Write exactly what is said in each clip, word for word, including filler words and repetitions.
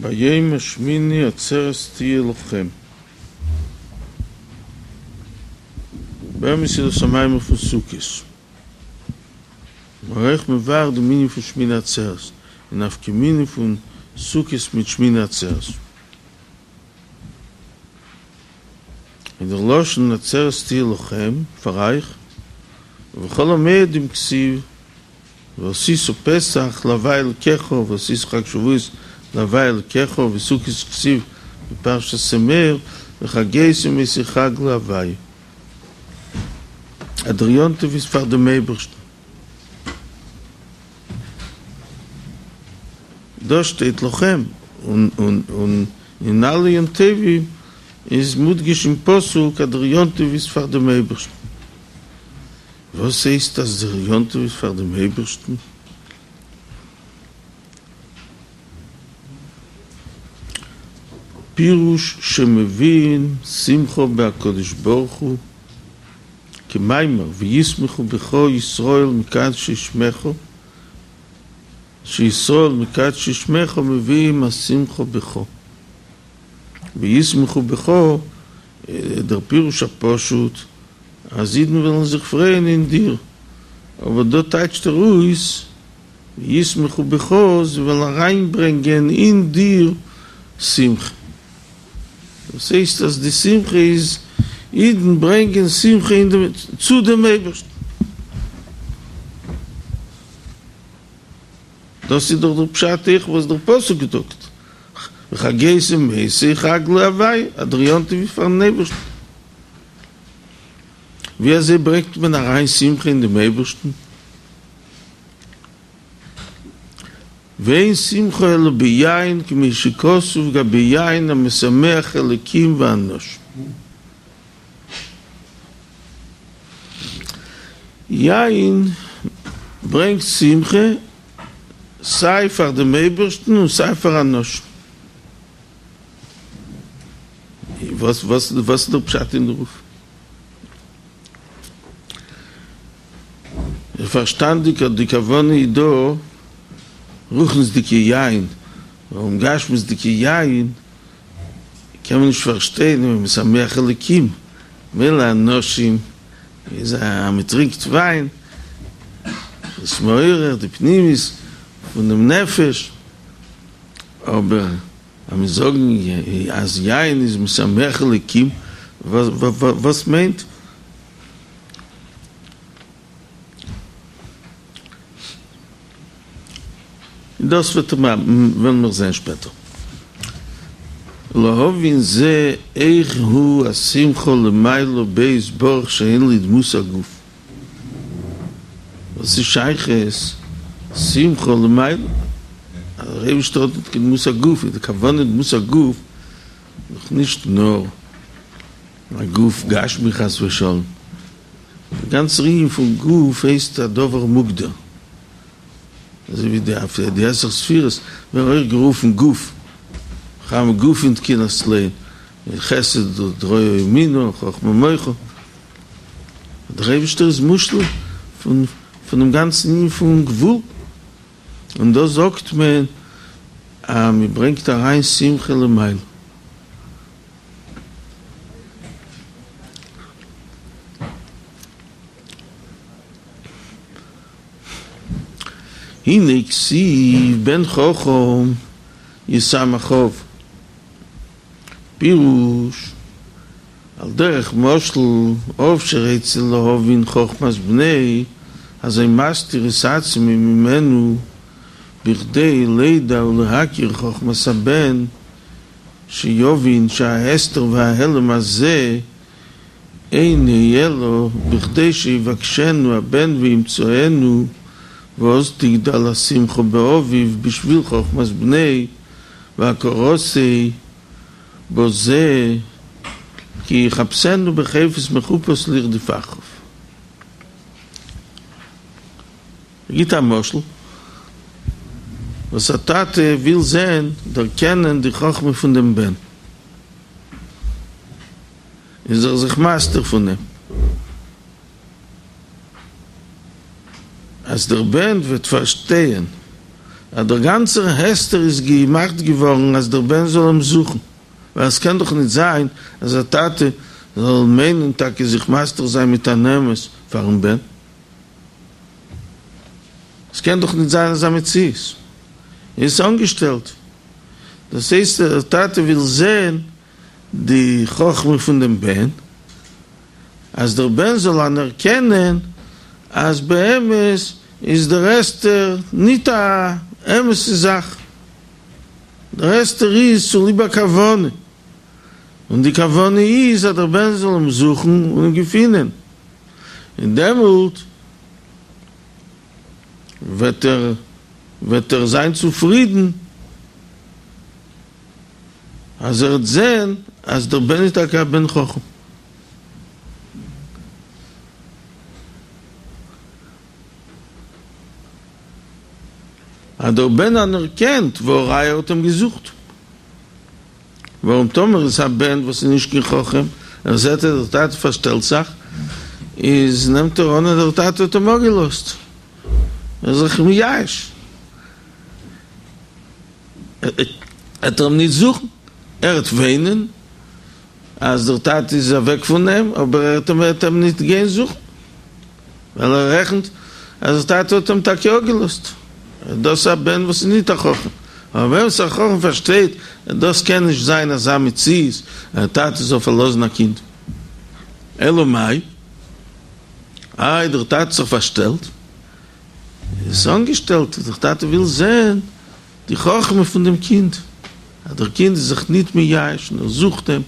ביום השמיני עצרת תהיה לכם. באמת איז דאס א מאמר פון סוכות. מ'איז אויך מבאר דעם ענין פון שמיני עצרת, און נפקא מינה פון סוכות מיט שמיני עצרת. און דער לשון עצרת תהיה לכם, פאר אייך, ובכל המועדים כתיב ועשית פסח להוי' אלקיך ועשית חג שבועות להוי' אלקיך ובסוכות כתיב בפרשת אמור וחגותם אותו חג להוי'. אז דער יום טוב איז פאר דעם אייבערשטן. דא שטייט לכם, און און אין אלע יום טובים איז מודגש אין פסוק אז דער יום טוב איז פאר דעם אייבערשטן. וואס הייסט אז דער יום טוב איז פאר דעם אייבערשטן? פירוש שמביאין שמחה בהקדוש ברוך הוא כמאמר וישמחו בך ישראל מקדשי שמך שישראל מקדשי שמך מביאים השמחה בך וישמחו בך דער פירוש הפשוט אז אידן וועלן זיך פרייען אין דיר, אבער דא טייטשט ער אויס וישמחו בך, זיי וועלן אריינברענגען אין דיר שמחה. דאס הייסט אז די שמחה איז אידן ברענגען שמחה אין דעם צו דעם אייבערשטן. דאס איז דאך דער פשט אויך וואס דער פסוק זאגט, וחגותם אותו חג להוי', אז דער יום טוב איז פארן אייבערשטן. ווי אזוי ברענגט מען אריין שמחה אין דעם אייבערשטן? ואין שמחה אלא ביין כמו שכתוב גבי יין המשמח אלקים ואנשים. יין ברענגט שמחה סיי פאר דעם אייבערשטן און סיי פאר אנשים. וואס וואס איז דער פשט אין דערויף? איז פארשטאנדיג אז די כוונה איז דא רוחניות'דיגע יין, ווארום גשמיות'דיגע יין קען מען נישט פארשטיין ווען משמח אלקים, מילא אנשים איז אז מען טרינקט וויין איז מעורר די פנימיות פונעם נפש, אבער אז מיר זאגן אז יין איז משמח אלקים, וואס מיינט? דאס וועט וועלן מיר זען שפעטער. להבין זה איך הוא השמחה למעלה בו יתברך שאין לו דמות הגוף. וואס איז שייכות שמחה למעלה? אז דער אייבערשטער האט ניט קיין דמות הגוף, איז די כוונה דמות הגוף דאך נישט נאר א גוף גשמי חס ושלום, דער גאנצער ענין פון גוף הייסט א דבר מוגדר, אזוי ווי די די עשר ספירות ווערן אויך גערופן גוף, כמה גופין תקינת סלעין, חסד דרועא ימינא, חכמה מוחא. דער אייבערשטער איז מושלל פון פונעם גאנצן ענין פון גבול, און דא זאגט מען אז מען ברענגט אריין שמחה למעלה. הנה כתיב בן חכם ישמח אב, פירוש על דרך משל אב שרוצה להבין חכמת בנו אזי מסתיר את עצמו ממנו בכדי לידע ולהכיר חכמת הבן שיבין שההסתר וההעלם הזה אינו אלא בכדי שיבקשנו הבן וימצאנו ואז תגדל השמחה באביו בשביל חכמת בנו והכרתו בזה כי יחפשנו בחפש מחופש לרדוף אחריו. ער גיט א משל וואס א טאטע וויל זען דערקענען די חכמה פון דעם בן איז ער זיך מסתיר פון אים אז דער בן וועט פארשטייען אז דער גאנצער הסתר איז געמאכט געווארן אז דער בן זאל אים זוכן, ווייל עס קען דאך ניט זיין אז א טאטע זאל מיינען טאקע זיך מסתיר זיין מיט אן אמת פארן בן. עס קען דאך ניט זיין אזא מציאות. איז עס אנגעשטעלט. דאס הייסט דער טאטע וויל זען די חכמה פון דעם בן, אז דער בן זאל אנערקענען אז באמת איז דער הסתר ניט א אמת'ע זאך, דער הסתר איז צוליב א כוונה, און די כוונה איז אז דער בן זאל אים זוכן און אים געפינען, און דעמאלט וועט ער וועט ער זיין צופרידן אז ער וועט זען אז דער בן איז טאקע א בן חכם. אז דער בן אנערקענט והראיה ער האט אים געזוכט. ווארום טאמער איז א בן וואס איז נישט קיין חכם, ער זעט אז דער טאטע פארשטעלט זיך, איז נעמט ער אן אז דער טאטע האט אים אפגעלאזט, ער איז זיך מייאש, עט ער אים נישט זוכן, ער וועט וויינען אז דער טאטע איז אוועק פון אים, אבער ער וועט אים נישט גיין זוכן, ווייל ער רעכנט אז דער טאטע האט אים טאקע אפגעלאזט. דאס איז א בן וואס איז ניט א חכם. אבער ווען ס'איז א חכם פארשטייט אז דאס קען נישט זיין אזא מציאות אז א טאטע זאל פארלאזן א קינד. אלא מאי? איי דער טאטע האט זיך פארשטעלט? איז עס אנגעשטעלט, דער טאטע וויל זען די חכמה פון דעם קינד, אז דער קינד איז זיך ניט מייאש און ער זוכט אים.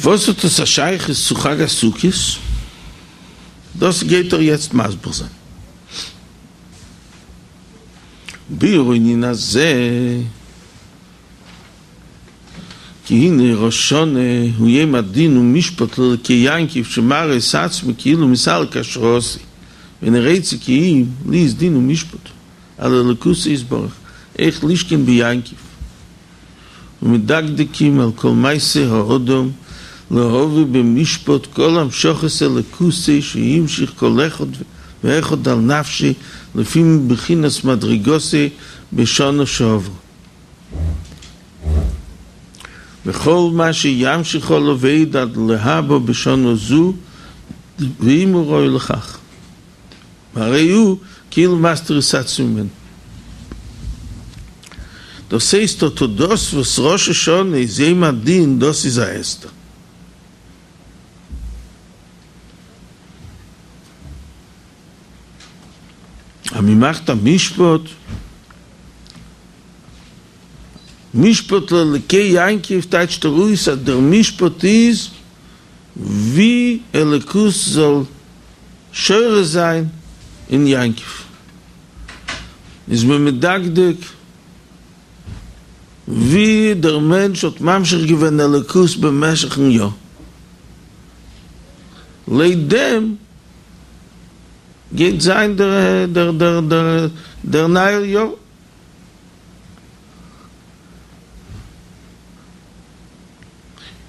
וואס האט עס א שייכות צו חג הסוכות? דאס גייט ער יעצט מסביר זיין. ביאור ענין הזה, כי הנה ראש שנה הוא יום הדין ומשפט לאלקי יעקב שמראה את עצמו כאילו מסלק השראתו ואינו רוצה כי אם להיות דין ומשפט על אלוקותו יתברך איך לשכון ביעקב ומדקדקים על כל מעשה האדם להביא במשפט כל המשכת אלוקותו שימשיך כל אחד ואחד על נפשו לפי בחינת מדרגתו בשנה שעברה וכל מה שימשיך עליו עוד עד להבא בשנה זו ואם הוא ראוי לכך והרי הוא כאילו מסתיר את עצמו ממנו. דאס הייסט אט דאס וואס ראש השנה איז יום הדין דאס איז א הסתר. אז מען מאכט א משפט, משפט לאלקי יעקב טייטשט ער אויס אז דער משפט איז ווי אלוקות זאל שורה זיין אין יעקב, איז מען מדקדק ווי דער מענטש האט ממשיך געווען אלוקות במשך'ן יאר, לויט דעם גייט זיין דער נייער יאר.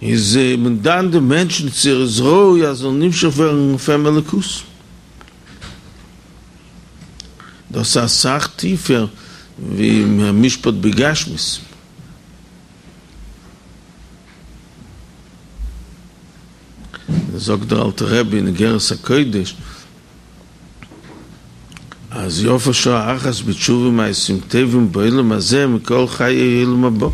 איז מען דן דעם מענטשן צו ער איז ראוי אז זאל נמשך ווערן אויף אים אלוקות. דאס איז אסאך טיפער ווי משפט בגשמיות. זאגט דער אלטער רבי אין אגרת הקודש אז יפה שעה אחת בתשובה ומעשים טובים בעולם הזה מכל חיי עולם הבא.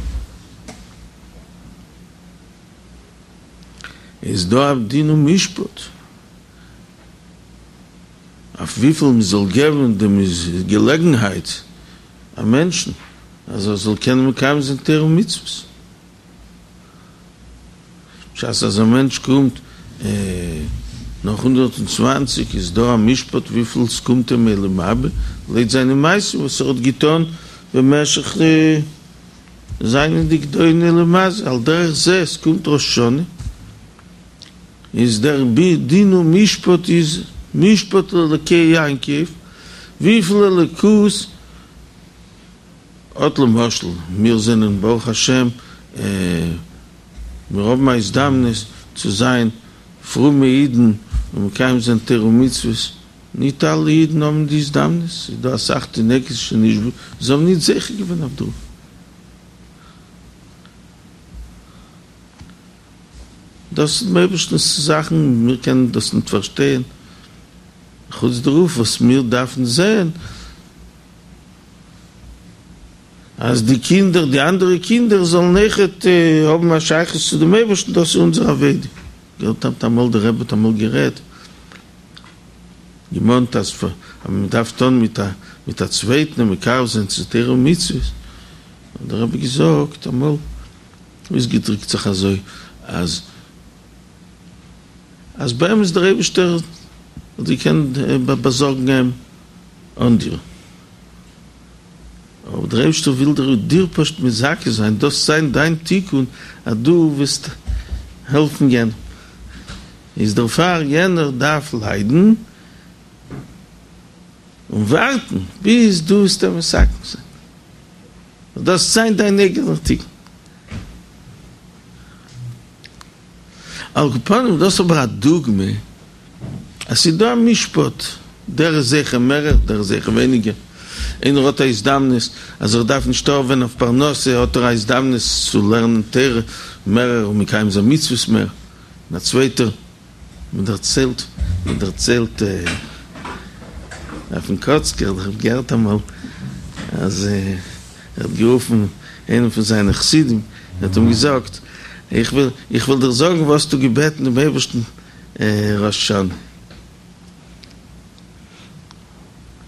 איז דא א דין ומשפט אויף וויפיל מען זאל געבן דעם געלעגנהייט א מענטשן אז ער זאל קענען מקיים זיין תורה ומצוות. בשעת אז א מענטש קומט נאך הונדערט און צוואַנציק איז דא א משפט וויפיל ס'קומט אים עולם הבא לויט זיינע מעשים וואס ער האט געטון במשך זייענדיג דא אין עולם הזה, על דרך זה עס קומט ראש השנה איז דער דין ומשפט איז משפט לאלקי יעקב וויפיל אלוקות אט למשל, מיר זענען ברוך השם, מיר האבן א הזדמנות צו זיין פרומע אידן און מקיים זיין תורה ומצוות, ניט אלע אידן האבן די הזדמנות, ס'איז דא אסאך תינוקות שנשבו, זיי האבן ניט זוכה געווען אויף דערויף. דאס איז דעם אייבערשטנ'ס זאכן, מיר קענען דאס ניט פארשטיין, חוץ דערויף וואס מיר דארפן זען אז די קינדער, די אנדערע קינדער זאלן אויכעט האבן א שייכות צו דעם אייבערשטן, דאס איז אונזער עבודה. געהערט האט אמאל, דער רבי האט אמאל גערעדט, געמאנט אז מען דארף טון מיט א מיט א צווייטן און מקרב זיין צו תורה ומצוות, האט דער רבי געזאגט אמאל, אויסגעדריקט זיך אזוי, אז אז באמת דער אייבערשטער האט געקענט באזארגן אים אן דיר, אבער דער אייבערשטער וויל דיר דיר פשוט מזכה זיין, דאס זיין דיין תיקון אז דו וועסט העלפן יענעם, איז דערפאר יענער דארף ליידן און ווארטן ביז דו וועסט אים מתקן זיין, דאס זיין דיין אייגענער תיקון. על כל פנים דאס אבער א דוגמא אז ס'איז דא א משפט, דער איז זוכה מערער דער איז זוכה ווייניגער, איינער האט א הזדמנות אז ער דארף נישט הארעווען אויף פרנסה האט ער א הזדמנות צו לערנען תורה מערער און מקיים זיין מצוות מער, און א צווייטער, מען דערציילט, מען דערציילט אויפן קאצקער, איך האב געהערט אמאל אז ער האט גערופן איינעם פון זיינע חסידים, ער האט אים געזאגט, איך וויל, איך וויל דיר זאגן וואס האסטו געבעטן דעם אייבערשטן ראש השנה.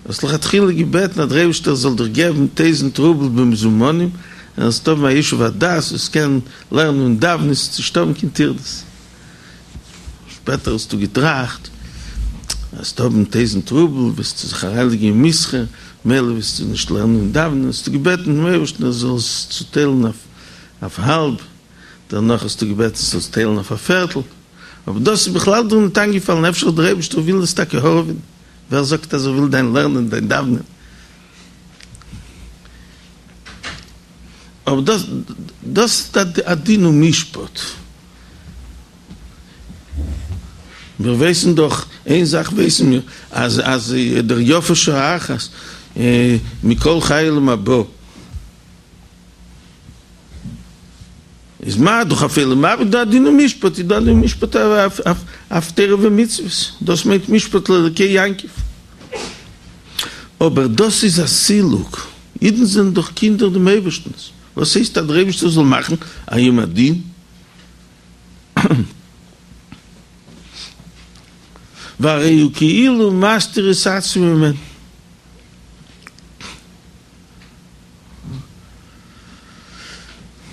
האסט לכתחילה געבעטן אז דער אייבערשטער זאל דיר געבן טויזנט רובל במזומנים, און זאלסט האבן א ישוב הדעת, זאלסט קענען לערנען און דאווענען, זאלסט נישט האבן קיין טרדות. שפעטער האסטו געטראכט, וועסט האבן טויזנט רובל, וועסטו זיך אריינלייגן אין מסחר, מילא וועסטו נישט לערנען און דאווענען, האסטו געבעטן דעם אייבערשטן ער זאל עס צוטיילן אויף האלב, דערנאך האסטו געבעטן זאל עס טיילן אויף א פערטל, אבער דאס איז בכלל דיר ניט איינגעפאלן, אפשר דער אייבערשטער וויל עס טאקע הארעווען, ווער זאגט אז ער וויל דיין לערנען, דיין דאווענען? אבער דאס דאס איז א דין ומשפט. מיר ווייסן דאך, איין זאך ווייסן מיר, אז אז דער יפה שעה אחת מכל חיי עולם הבא איז מה דאך אויף עולם הבא דא דין ומשפט, איז דא דין ומשפט אויף תורה ומצוות, דאס מיינט משפט לאלקי יעקב. אבער דאס איז א סילוק, אידן זענען דאך קינדער דעם אייבערשטנ'ס, וואס הייסט אז דער אייבערשטער זאל מאכן א יום הדין? והרי הוא כאילו מסתיר את עצמו ממנו.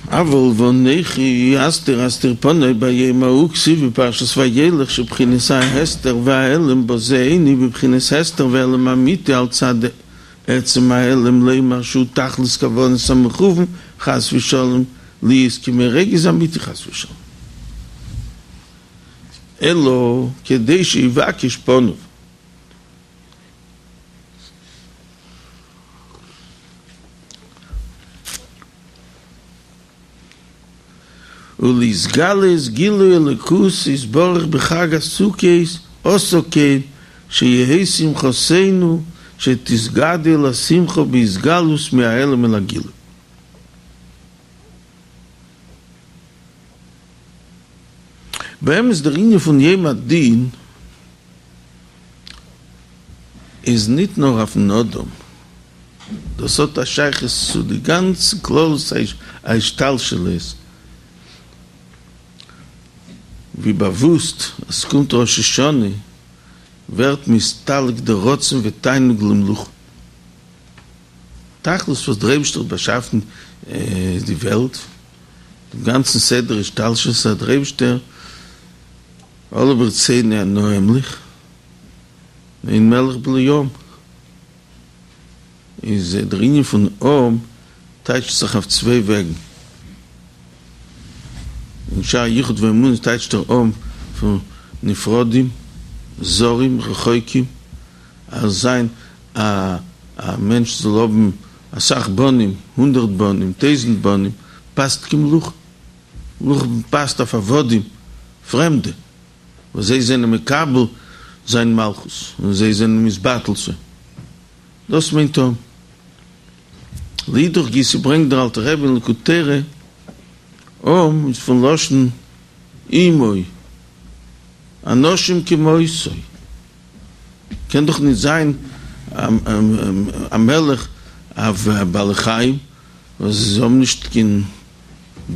אבל ואנכי הסתר אסתיר פני ביום ההוא כתיב בפרשת וילך שבחינת ההסתר וההעלם בזה אינו בבחינת הסתר והעלם אמיתי על צד עצם ההעלם לומר שהוא תכלית כוונת המכוון חס ושלום להיות כמו רוגז אמיתי חס ושלום אלא כדי שיבקש פניו. ולהתגלות גילוי אלוקות יתברך בחג הסוכות עשה כן שיהא שמחתינו שתתגדל השמחה בהתגלות מההעלם אל הגילוי. באמת דער ענין פון יום הדין איז ניט נאר אויפן אדם, דאס האט א שייכות צו די גאנצע כללות ההשתלשלות, ווי באוואוסט אז ס'קומט ראש השנה ווערט נסתלק דער רצון ותענוג למלוכה, תכלית וואס דער אייבערשטער האט באשאפן די וועלט, דעם גאנצן סדר השתלשלות אז דער אייבערשטער עלה ברצוני אנא אמלוך, אין מלך בלי עם, איז דער ענין פון עם טייטשט זיך אויף צוויי וועגן, אין שער היחוד והאמונה טייטשט ער עם פון נפרדים, זרים, רחוקים, אז זיין א א מענטש זאל האבן אסאך בנים, הונדערט בנים, טויזנט בנים, פאסט קיין מלוכה. מלוכה פאסט אויף עבדים, פרעמדע, וואס זיי זענען מקבל זיין מלכות, און זיי זענען מתבטל צו אים. דאס מיינט עם. לאידך גיסא ברענגט דער אלטער רבי אין ליקוטי תורה, עם איז פון לשון עמו, אנשים כמותו. קען דאך נישט זיין א מלך אויף בעלי חיים וואס זיי האבן נישט קיין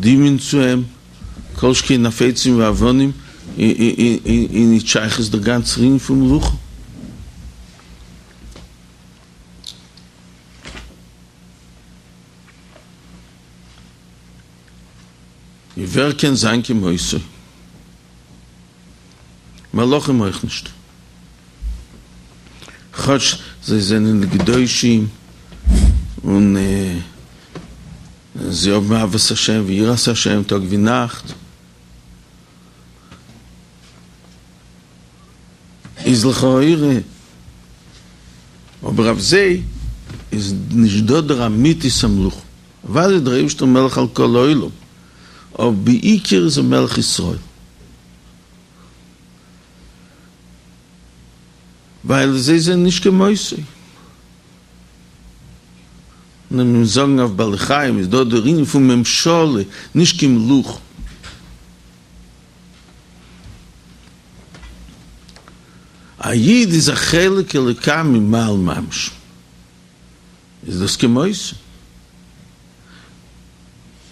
דמיון צו אים, כל שכן אויף עצים ואבנים, איז נישט שייכות דער גאנצער ענין פון מלוכה. און ווער קען זיין כמותו? מלאכים אויך נישט. כאטש זיי זענען קדושים און זיי האבן אהבת השם ויראת השם טאג ווי נאכט, איז לכאורה אבער אויף זיי איז נישט דא דער אמיתית המלוכה, אוודאי איז דער אייבערשטער מלך על כל העולם, אבער בעיקר איז ער מלך ישראל. ווייל זיי זענען נישט כמותו. און מיר זאגן אויף בעלי חיים איז דא דער ענין פון ממשלה, נישט קיין מלוכה. א איד איז א חלק אלוקה ממעל ממש. איז דאס כמותו.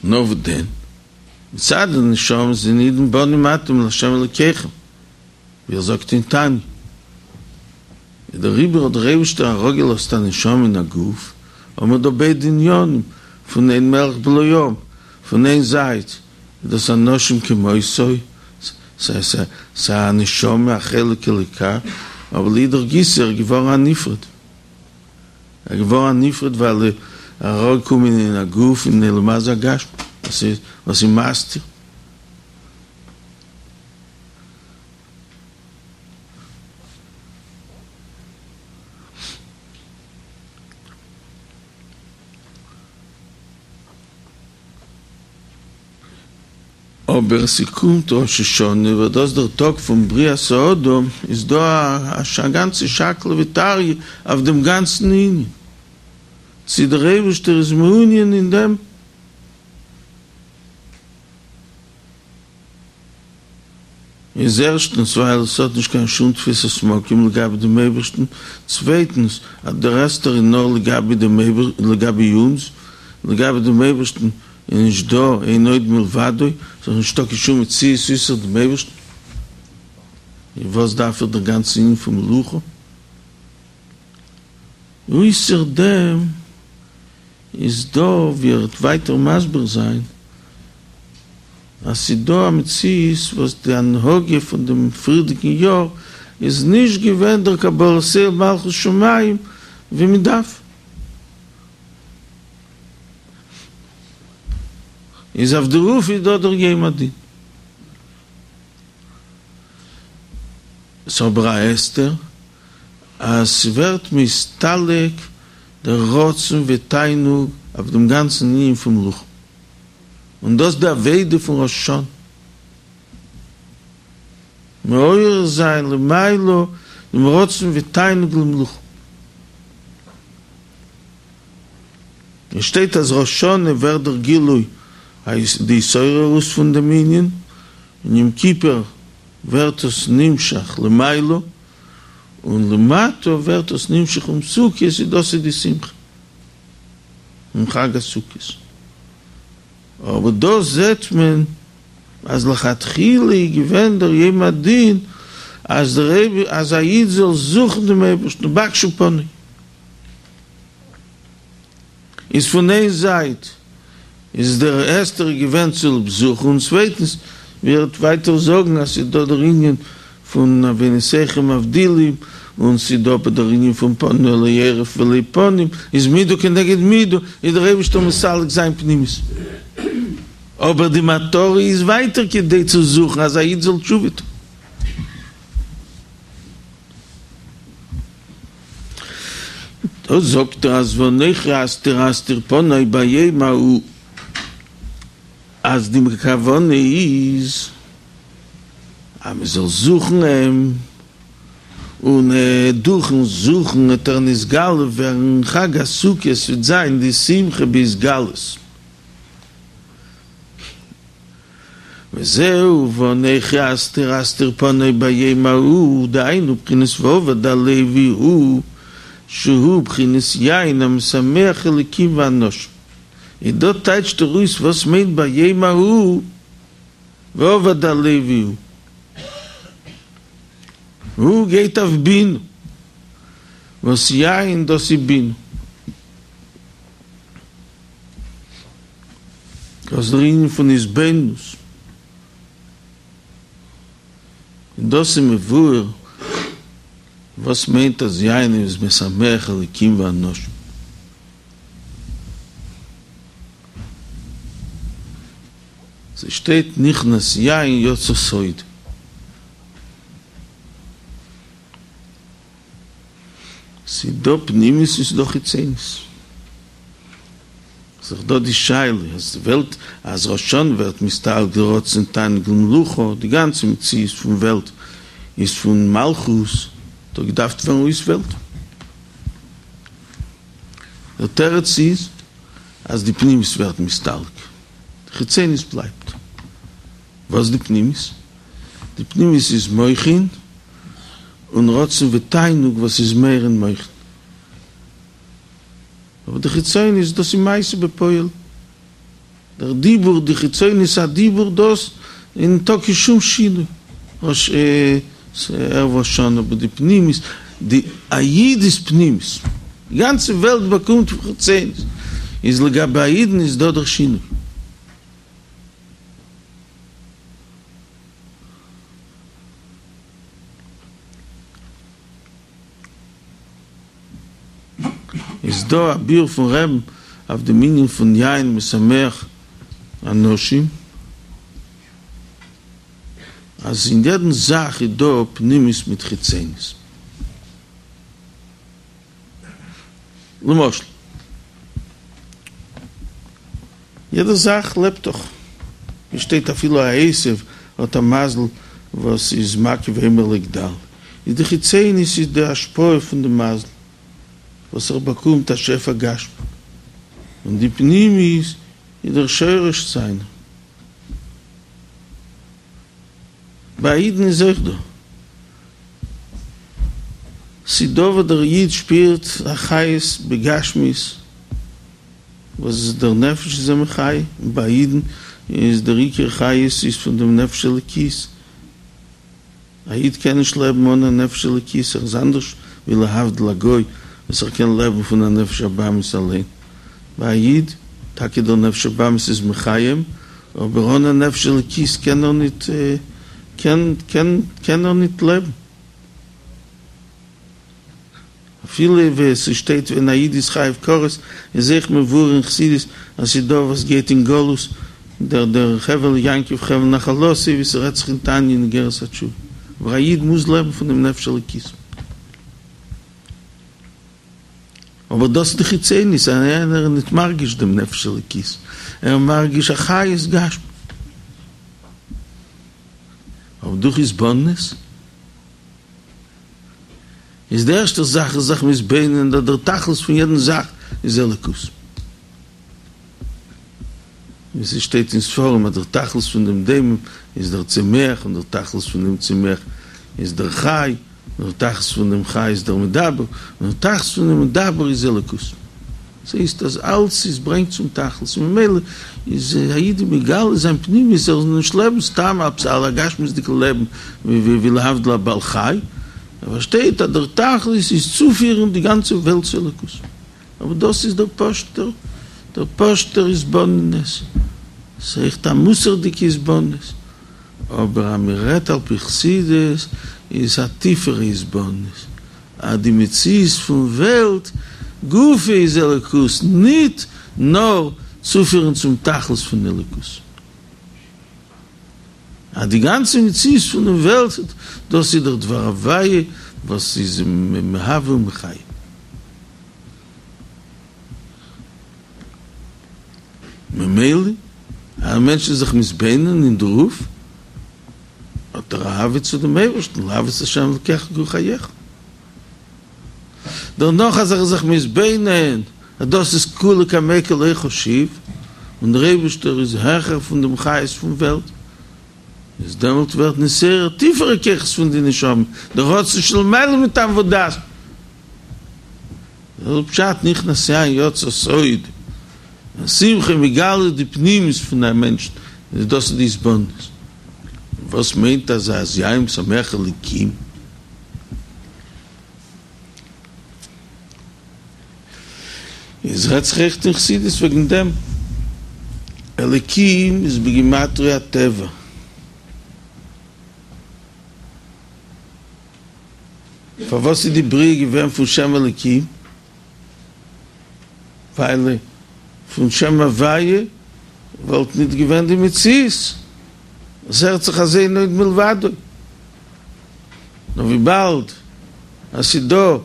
נאר וואס דען? מצד די נשמה זענען אידן בנים אתם לה' אלוקיכם, ווי ער זאגט אין תניא, איז דעריבער האט דער אייבערשטער אראפגעלאזט א נשמה אין א גוף, האבן מיר דא ביידע עניינים פון אין מלך בלא עם, פון איין זייט איז דאס אנשים כמותו, ס'איז א נשמה א חלק אלוקה, אבער לאידך גיסא ער איז געווארן א נפרד. ער איז געווארן א נפרד ווייל ער איז אראפגעקומען אין א גוף אין עולם הזה הגשמי וואס איז וואס איז מסתיר. אבער ס'קומט ראש השנה וואס דאס איז דער טאג פון בריאת האדם, איז דא א גאנצע שקלא וטריא אויף דעם גאנצן ענין, צי דער אייבערשטער איז מעוניין אין דעם, איז ערשטנס ווייל עס האט נישט קיין שום תפיסת מקום לגבי דעם אייבערשטן, צווייטנס אז דער הסתר איז נאר לגבי דעם לגבי אונז, לגבי דעם אייבערשטן איז נישט דא אין עוד מלבדו, ס'איז נישטא קיין שום מציאות אויסער דעם אייבערשטן, און וואס דארף איך דער גאנצע ענין פון מלוכה? אויסער דעם איז דא ווי ער וועט ווייטער מסביר זיין אז ס'איז דא א מציאות וואס די הנהגה פון דעם פריערדיגן יאר איז נישט געווען דער קבלת עול מלכות שמים ווי מען דארף, איז אויף דערויף איז דא דער יום הדין. ס'איז אבער א הסתר אז ס'ווערט מסתלק דער רצון ותענוג אויף דעם גאנצן ענין פון מלוכה, און דאס די עבודה פון ראש השנה, מעורר זיין למעלה דעם רצון ותענוג למלוכה. עס שטייט אז ראש השנה ווערט דער גילוי די התעוררות פון דעם ענין, און יום כיפור ווערט עס נמשך למעלה, און למטה ווערט עס נמשך אום סוכות, איז דאס איז די שמחה אום חג הסוכות. אבער דא זעט מען אז לכתחילה איז געווען דער יום הדין אז דער אז א איד זאל זוכן דעם אייבערשטן ובקשו פני. איז פון איין זייט איז דער הסתר געווען צוליב זוכן, און צווייטנס ווי ער וועט ווייטער זאגן אז ס'איז דא דער ענין פון עוונותיכם מבדילים, און ס'איז דא אבער דער ענין פון פנה אלי עורף ולא פנים, איז מידה כנגד מידה, איז דער אייבערשטער מסלק זיין פנימיות. אבער די מטרה איז ווייטער כדי צו זוכן אז א איד זאל תשובה טון. דא זאגט ער אז ואנכי הסתר אסתיר פני ביום ההוא, אז די כוונה איז אז מען זאל זוכן אים, און דורכן זוכן וועט ער נתגלה ווערן, חג הסוכות וועט זיין די שמחה בהתגלות. וזהו ואנכי הסתר אסתיר פני ביום ההוא, דהיינו בחינת ואבד הלוי הוא שהוא בחינת יין המשמח אלקים ואנשים. און דא טייטשט ער אויס וואס מיינט ביום ההוא ואבד הלוי הוא. הוא גייט אויף בינה, וואס יין דאס איז בינה. דאס איז דער ענין פון התבוננות, און דאס איז מבואר וואס מיינט אז יין איז משמח אלקים ואנשים. ס'שטייט נכנס יין יצא סוד. ס'איז דא פנימיות און ס'איז דא חיצוניות. ס'איז דאך דא די שאלה אז די וועלט אז ראש השנה ווערט נסתלק די רצון תענוג למלוכה, די גאנצע מציאות פון וועלט איז פון מלכות, האט דאך געדארפט ווערן אויס וועלט. דער תירוץ איז אז די פנימיות ווערט נסתלק, די חיצוניות בלייבט. וואס איז די פנימיות? די פנימיות איז מוחין און רצון ותענוג וואס איז מאיר אין מוחין. אבער די חיצוניות דאס איז מעשה בפועל, דער דיבור, די חיצוניות הדיבור דאס איז ניטא קיין שום שינוי, ראש ערב ראש השנה, אבער די פנימיות, די א איד איז פנימיות, די גאנצע וועלט באקומט פון חיצוניות, איז לגבי א אידן איז דא דער שינוי. איז דא א ביאור פון רבי'ן אויף דעם ענין פון יין משמח אנשים, אז אין יעדן זאך איז דא פנימיות מיט חיצוניות. למשל, יעדע זאך לעבט דאך, ווי שטייט אפילו א עשב האט א מזל וואס איז מקיף ואומר לגדל, איז די חיצוניות איז די השפעה פון די מזל וואס ער באקומט א שפע גשמי, און די פנימיות איז דער שורש זיינער. ביי אידן איז אויך דא. ס'דא וואס דער איד שפירט א חיות בגשמיות וואס דער נפש איז אים מחיה, און ביי אידן איז דער עיקר חיות איז פון דעם נפש אלוקית, א איד קען נישט לעבן אן א נפש אלוקית, ער איז אנדערש ווי להבדיל א גוי וואס ער קען לעבן פון א נפש הבהמית אליין, ביי א איד, טאקע דער נפש הבהמית איז מחיה אים, אבער אן א נפש אלוקית קען ער ניט קען קען קען ער ניט לעבן. אפילו ווי עס שטייט ווען א איד איז חייב כרת, איז אויך מבואר אין חסידות אז ס'איז דא וואס גייט אין גלות, דער דער חבל יעקב חבל נחלתו, ווי ס'רעדט זיך אין תניא אין אגרת התשובה. אבער א איד מוז לעבן פון דעם נפש אלוקית. אבער דאס איז די חיצוניות, אז יענער איז ניט מרגיש דעם נפש אלוקית, ער איז מרגיש א חיות גשמי. אבער דורך התבוננות איז די ערשטע זאך איז זיך מתבונן אז דער תכלית פון יעדן זאך איז אלוקות. ווי ס'שטייט אין ספרים אז דער תכלית פון דעם דומם איז דער צומח און דער תכלית פון דעם צומח איז דער חי, און דער תכלית פון דעם חי איז דער מדבר, און דער תכלית פון דעם מדבר איז אלוקות. דאס הייסט אז אלץ איז ברענגט צום תכלית, און ממילא איז א איד מגלה זיין פנימיות, ער זאל נישט לעבן סתם עפעס א גשמיות'דיגע לעבן ווי להבדיל א בעל חי, ער פארשטייט אז דער תכלית איז צופירן די גאנצע וועלט צו אלוקות. אבער דאס איז דער פשוט'ער, דער פשוט'ער התבוננות, ס'איז אויכעט א מוסר'דיגע התבוננות, אבער אז מען רעדט על פי חסידות איז א טיפערע התבוננות, אז די מציאות פון וועלט גופא איז אלוקות, ניט נאר צופירן צום תכלית פון אלוקות. אז די גאנצע מציאות פונעם וועלט דאס איז דער דבר הוויה וואס איז מהווה ומחיה. ממילא, א מענטש איז זיך מתבונן אין דערויף, האט ער אהבה צו דעם אייבערשטן, לאהוב את ה' אלקיך כל חייך. דערנאך אז ער איז זיך מתבונן אז דאס איז כולא קמיה כלא חשיב, און דער אייבערשטער איז העכער פון דעם חיות פון וועלט, איז דעמאלט ווערט נתעורר טיפערע כוחות פון די נשמה, דער רצון שלמעלה מטעם ודעת. דאס איז פשט נכנס יין יצא סוד, אז שמחה מגלה די פנימיות פון א מענטש, דאס איז די התבוננות. וואס מיינט אז אז יין משמח אלקים? איז רעדט זיך אויכעט אין חסידות וועגן דעם, אלקים איז בגימטריא הטבע. פארוואס איז די בריאה געווען פון שם אלקים? ווייל פון שם הוויה וואלט ניט געווען די מציאות, עס הערט זיך אז אין עוד מלבדו. נאר וויבאלד אז ס'איז דא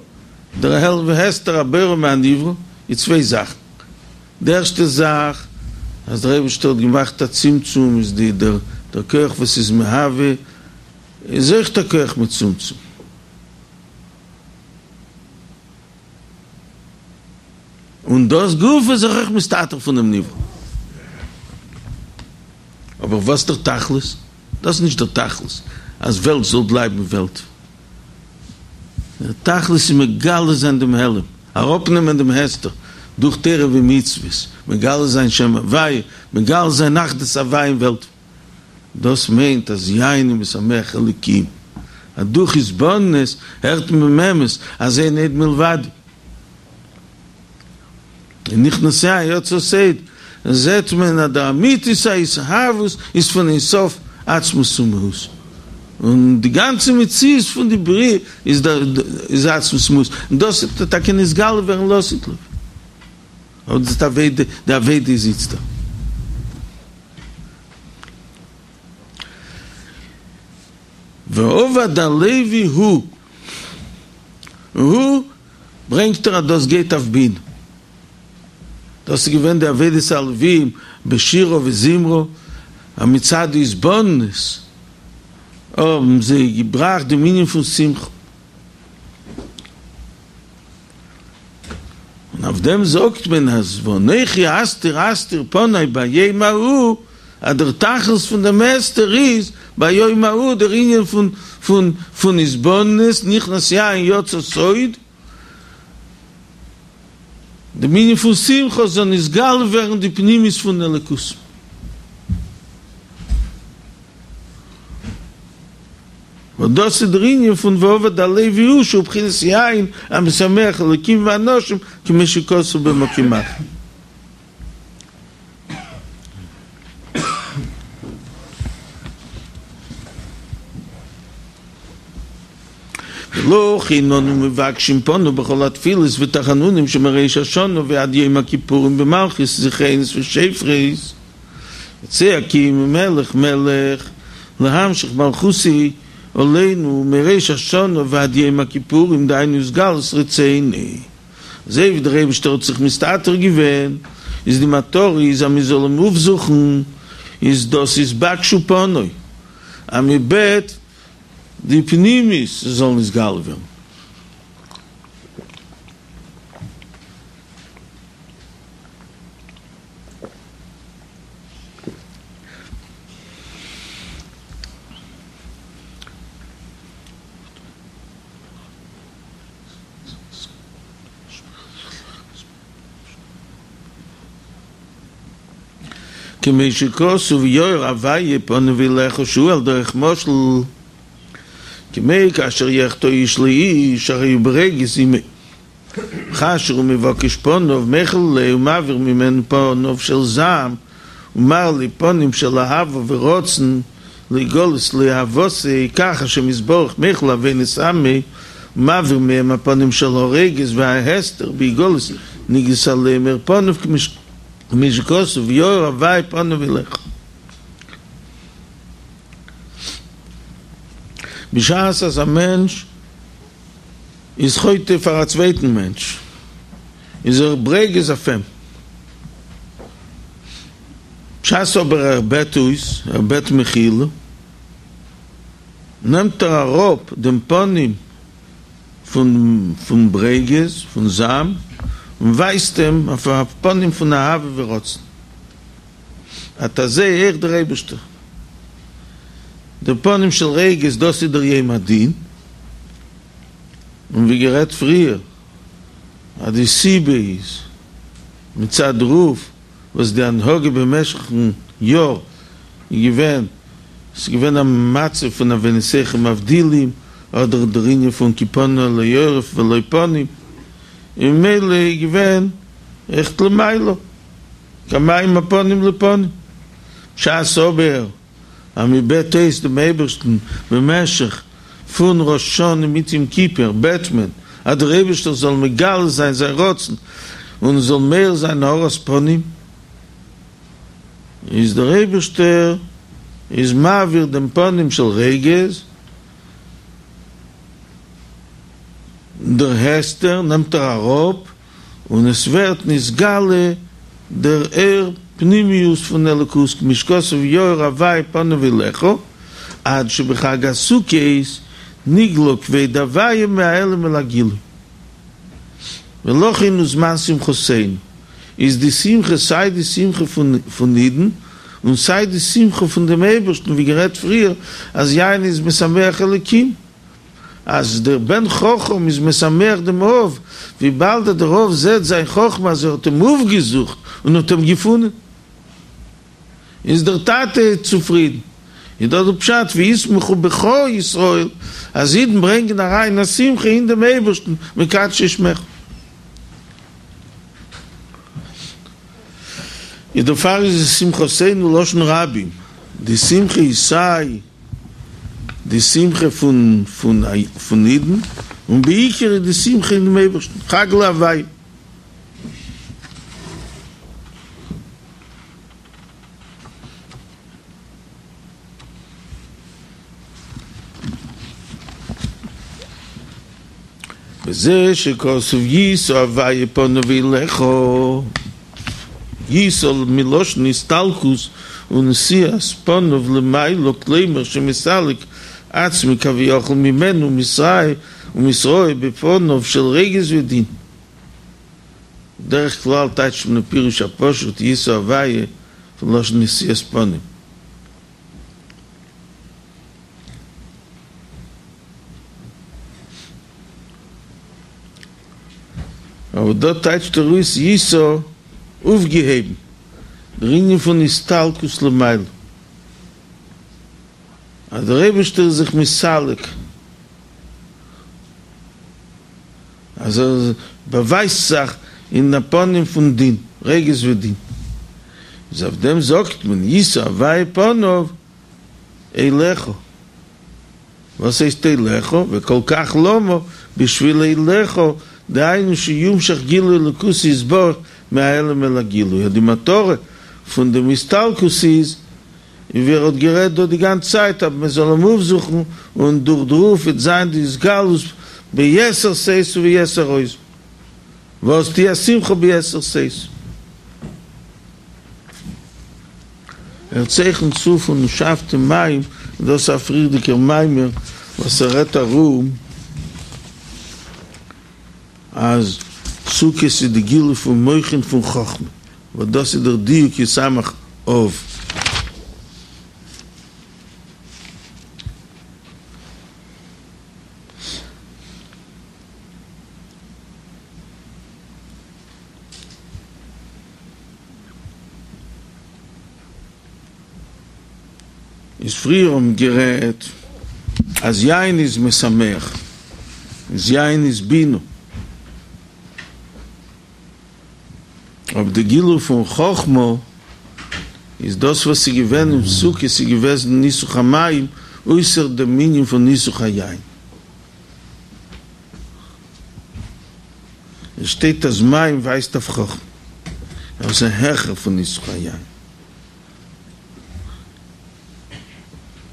דער העלם והסתר הבורא מהנברא, איז צוויי זאכן, די ערשטע זאך אז דער אייבערשטער האט געמאכט א צמצום איז די דער דער כח וואס איז מהווה איז אויכעט א כח מצומצם, און דאס גופא איז זיך אויך מסתתר פונעם נברא. אבער וואס דער תכלית? דאס איז נישט דער תכלית אז וועלט זאל בלייבן וועלט. דער תכלית איז מגלה זיין דעם העלם, אראפנעמען דעם הסתר דורך תורה ומצוות, מגלה זיין שם הוויה, מגלה זיין אחדות הוויה אין וועלט. דאס מיינט אז יין איז משמח אלוקים, אז דורך התבוננות הערט מען באמת אז אין עוד מלבדו. און נכנס יין יצא סוד, זעט מען אז די אמיתית ההתהוות איז פון אין סוף עצמות ומהות, און די גאנצע מציאות פון די בריאה איז איז עצמות ומהות, און דאס וועט טאקע נתגלה ווערן לעתיד לבוא. אבער די עבודה, די עבודה איז איצטער. ועבד הלוי הוא, הוא ברענגט ער אז דאס גייט אויף בינה. דאס איז געווען די עבודת הלווים בשירה וזמרה, אז מצד די התבוננות האבן זיי געבראכט דעם ענין פון שמחה. און אויף דעם זאגט מען אז ואנכי הסתר אסתיר פני ביום ההוא, אז דער תכלית פון דעם הסתר איז ביום ההוא דער ענין פון פון פון התבוננות נכנס יין יצא סוד, דעם ענין פון שמחה זאל נתגלה ווערן די פנימיות פון אלוקות. וואס דאס איז דער ענין פון ועבד הלוי הוא שהוא בחינת יין המשמח אלוקים ואנשים כמו שכתוב במקום אחר. ולכן אנו מבקשים פניו בכל התפילות ותחנונים שמראש השנה ועד יום הכיפורים במלכיות זכרונות ושופרות וצועקים מלך מלך להמשיך מלכותו עלינו מראש השנה ועד יום הכיפורים דהיינו התגלות רצונו. אזוי ווי דער אייבערשטער האט זיך מסתתר געווען, איז די מטרה איז אז מען זאל אים אויפזוכן, איז דאס התבקשו פני, אז מען בעט די פנימיות זאל נתגלה ווערן. כמו שכתוב יאר הוויה פניו אליך שהוא על דרך משל כמו כאשר יחטא איש לאיש הרי הוא ברוגז עמו וכאשר הוא מבקש פניו מוחל לו ומעביר ממנו פניו של זעם ומראה לו פנים של אהבה ורצון לגלות לו אהבתו כך השם יתברך מוחל עוונות עמו ומעביר מהם הפנים של הרוגז וההסתר בהגלות נגלות עליהם אור פניו כמו שכתוב יאר הוויה פניו אליך. בשעת אז א מענטש איז חוטא פאר א צווייטן מענטש איז ער ברוגז אויף אים, בשעת אבער ער בעט אויס, ער בעט מחילה, נעמט ער אראפ דעם פנים פון פון ברוגז, פון זעם, און ווייזט אים אויף א פנים פון אהבה ורצון. אט אזוי אויך דער אייבערשטער. דער פנים של רוגז דאס איז דער יום הדין, און ווי גערעדט פריער אז די סיבה איז מצד דערויף וואס די הנהגה במשך'ן יאר איז געווען, ס'איז געווען א מצב פון עוונותיכם מבדילים, אדער דער ענין פון כי פנה אלי עורף ולא פנים, און ממילא איז געווען אויכעט למעלה, כמים הפנים לפנים. בשעת אבער אז מען בעט אויס דעם אייבערשטן במשך פון ראש השנה מיט יום כיפור בעט מען אז דער אייבערשטער זאל מגלה זיין זיין רצון און עס זאל מאיר זיין הארת פנים, איז דער אייבערשטער איז מעביר דעם פנים של רוגז, דער הסתר נעמט ער אראפ און עס ווערט נתגלה דער אור פנימיות פון אלוקות כמו שכתוב יאר הוי' פניו אליך, עד שבחג הסוכות נגלה כבוד הוי' מהעלם אל הגילוי. ולכן הוא זמן שמחתינו, איז די שמחה סיי די שמחה פון אידן און סיי די שמחה פון דעם אייבערשטן, ווי גערעדט פריער אז יין איז משמח אלקים, אז דער בן חכם איז משמח דעם אב, וויבאלד אז דער אב זעט זיין חכמה אז ער האט אים אויפגעזוכט און האט אים געפונען, איז דער טאטע צופרידן. איז דאס דער פשט וישמחו בך ישראל, אז אידן ברענגען אריין א שמחה אין דעם אייבערשטן מקדשי שמך. איז דערפאר איז עס שמחתינו לשון רבים, די שמחה איז סיי די שמחה פון פון אידן, און בעיקר איז די שמחה אין דעם אייבערשטן, חג להוויה. וזה שכתוב ישא הוויה פניו אליך, ישא מלשון הסתלקות ונשיאת פניו למעלה כלומר שמסלק עצמו כביכול ממנו ומתראה ומתראה בפניו של רוגז ודין. בדרך כלל טייטשט מען פירוש הפשוט ישא הוויה פון לשון נשיאת פנים. אבער דא טייטשט ער אויס ישא אויפגעהויבן, דער ענין פון הסתלקות למעלה, אז דער אייבערשטער איז זיך מסלק, אז ער באווייזט זיך אין א פנים פון דין, רוגז ודין, איז אויף דעם זאגט מען ישא הוויה פניו אליך, וואס הייסט אליך? וכל כך למה בשביל אליך, דהיינו שיומשך גילוי אלוקות יתברך מהעלם אל הגילוי, אז די מטרה פון דעם הסתלקות איז, און ווי ער האט גערעדט דא די גאנצע צייט אז מען זאל אים אויפזוכן און דורך דערויף וועט זיין די התגלות ביתר שאת וביתר עוז, ואז תהיה השמחה ביתר שאת. ער צייכנט צו פון ושאבתם מים, און דאס איז א פריערדיגער מאמר וואס ער רעדט ארום אז סוכות איז די גילוי פון מוחין פון חכמה, וואס דאס איז דער דיוק ישמח אב. איז פריער האבן גערעדט אז יין איז משמח, איז יין איז בינה, אבער די גילוי פון חכמה איז דאס וואס איז געווען אין סוכות איז געוועזן ניסוך המים אויסער דעם ענין פון ניסוך היין. עס שטייט אז מים ווייזט אויף חכמה, אבער עס איז העכער פון ניסוך היין.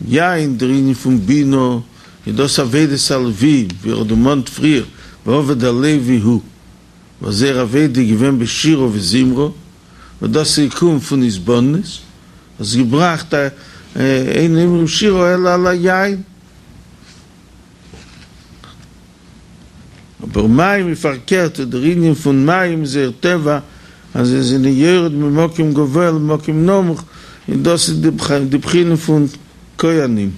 יין, דער ענין פון בינה, איז דאס עבודת הלווים, ווי ער האט דערמאנט פריער, ועבד הלוי הוא, וואס זייער עבודה איז געווען בשירה וזמרה, וואס דאס איז געקומען פון התבוננות, האסט געבראכט א אין אומרים שירה אלא על היין. אבער מים איז פארקערט, דער ענין פון מים איז זייער טבע אז זיי זענען יורד ממקום גבוה למקום נמוך, און דאס איז די בחינה פון כהנים.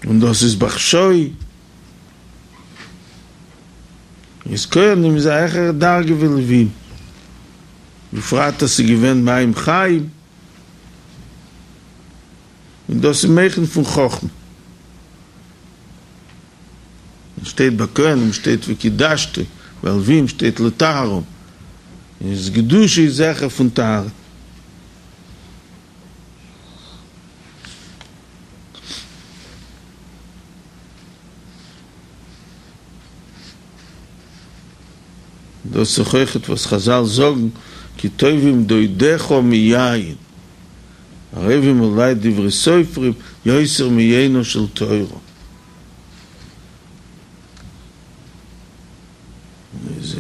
און דאס איז בחשאי. איז כהנים איז א העכערע דרגה ווי לווים, בפרט אז ס'איז געווען מים חיים, און דאס איז מוחין פון חכמה. און שטייט ביי כהנים שטייט וקדשתו, ביי לווים שטייט לטהרם, איז קדושה איז העכער פון טהרה. דאס איז אויכעט וואס חזל זאגן כי טובים דודיך מיין, ערבים עלי דברי סופרים יותר מיינה של תורה.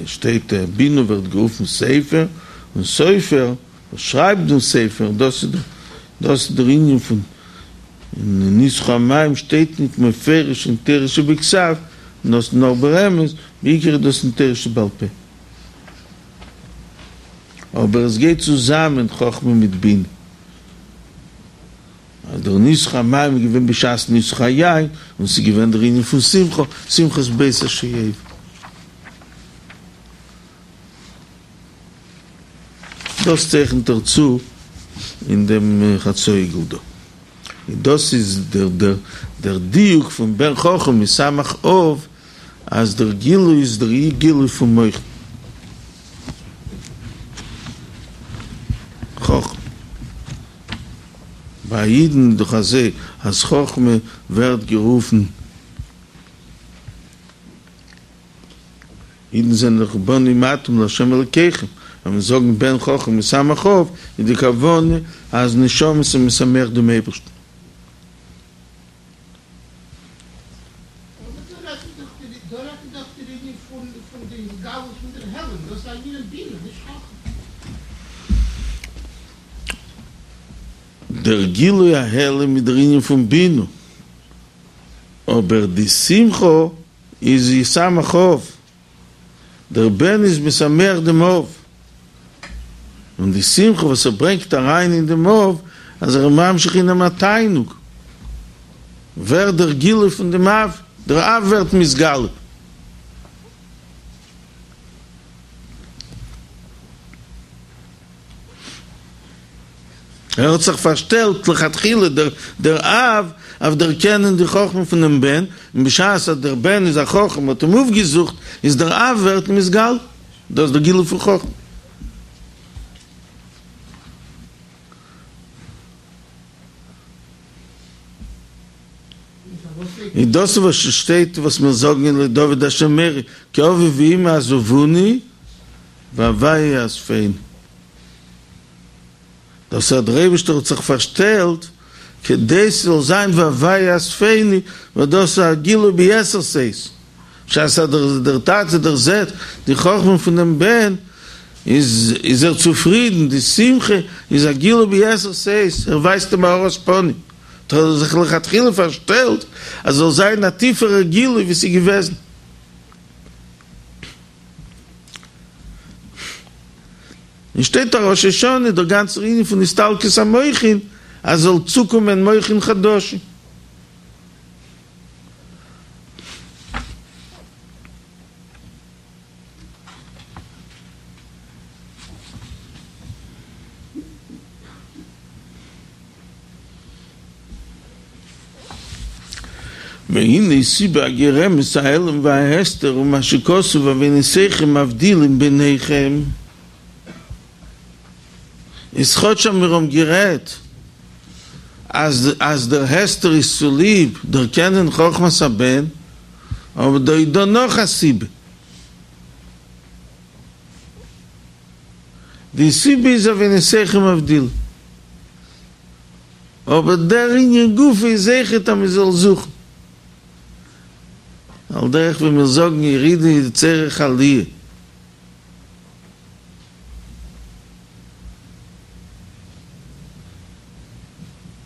שטייט בינה ווערט גערופן סופר, און סופר וואס שרייבט דעם ספר, דאס איז דאס איז דער ענין פון אין ניסוך המים שטייט ניט מפורש אין תורה שבכתב, נאר נאר ברמז, בעיקר איז דאס אין תורה שבעל פה. אבער עס גייט צוזאמען חכמה מיט בינה. אז דער ניסוך המים איז געווען בשעת ניסוך היין, און ס'איז געווען דער ענין פון שמחה, שמחת בית השואבה. דאס צייכנט ער צו אין דעם חצאי עיגול דא. און דאס איז דער דער דיוק פון בן חכם ישמח אב, אז דער גילוי איז דער גילוי פון מוחין חכמה. ביי אידן איז דאך אזוי אז חכמה ווערט גערופן, אידן זענען דאך בנים אתם לה' אלקיכם, ווען מיר זאגן בן חכם ישמח אב, איז די כוונה אז נשמות איז משמח דעם אייבערשטן. דער גילוי ההעלם איז דער ענין פון בינה, אבער די שמחה איז ישמח אב, דער בן איז משמח דעם אב, און די שמחה וואס ער ברענגט אריין אין דעם אב, אז ער איז ממשיך אין אים א תענוג, ווערט דער גילוי פון דעם אב, דער אב ווערט מתגלה. ער האט זיך פארשטעלט לכתחילה דער דער אב אויף דערקענען די חכמה פונעם בן, און בשעת אז דער בן איז א חכם האט אים אויפגעזוכט, איז דער אב ווערט נתגלה, דאס איז דער גילוי פון חכמה. און דאס איז וואס שטייט וואס מיר זאגן אין לדוד השם אורי כי אבי ואמי עזבוני והוי' יאספני. דאס אז דער אייבערשטער האט זיך פארשטעלט כדי ס'זאל זיין והוי' יאספני, ווייל דאס איז א גילוי ביתר שאת, בשעת אז דער טאטע דערזעט די חכמה פון דעם בן, איז איז ער צופרידן, די שמחה איז א גילוי ביתר שאת, ער ווייזט אים א הארת פנים, האט ער זיך לכתחילה פארשטעלט אז זאל זיין א טיפערער גילוי ווי ס'איז געוועזן. און שטייט אין ראש השנה דער גאנצער ענין פון הסתלקות המוחין אז זאל צוקומען מוחין חדשים. והנה סיבה הגורמת ההעלם וההסתר הוא מה שכתוב עוונותיכם מבדילים ביניכם. איז כאטש אז מיר האבן גערעדט אז אז דער הסתר איז צוליב דערקענען חכמת הבן, אבער דא איז דא נאך א סיבה. די סיבה איז עוונותיכם מבדילים. אבער דער ענין גופא איז אויכעט אז מען זאל זוכן. על דרך ווי מיר זאגן ירידה איז צורך עליה.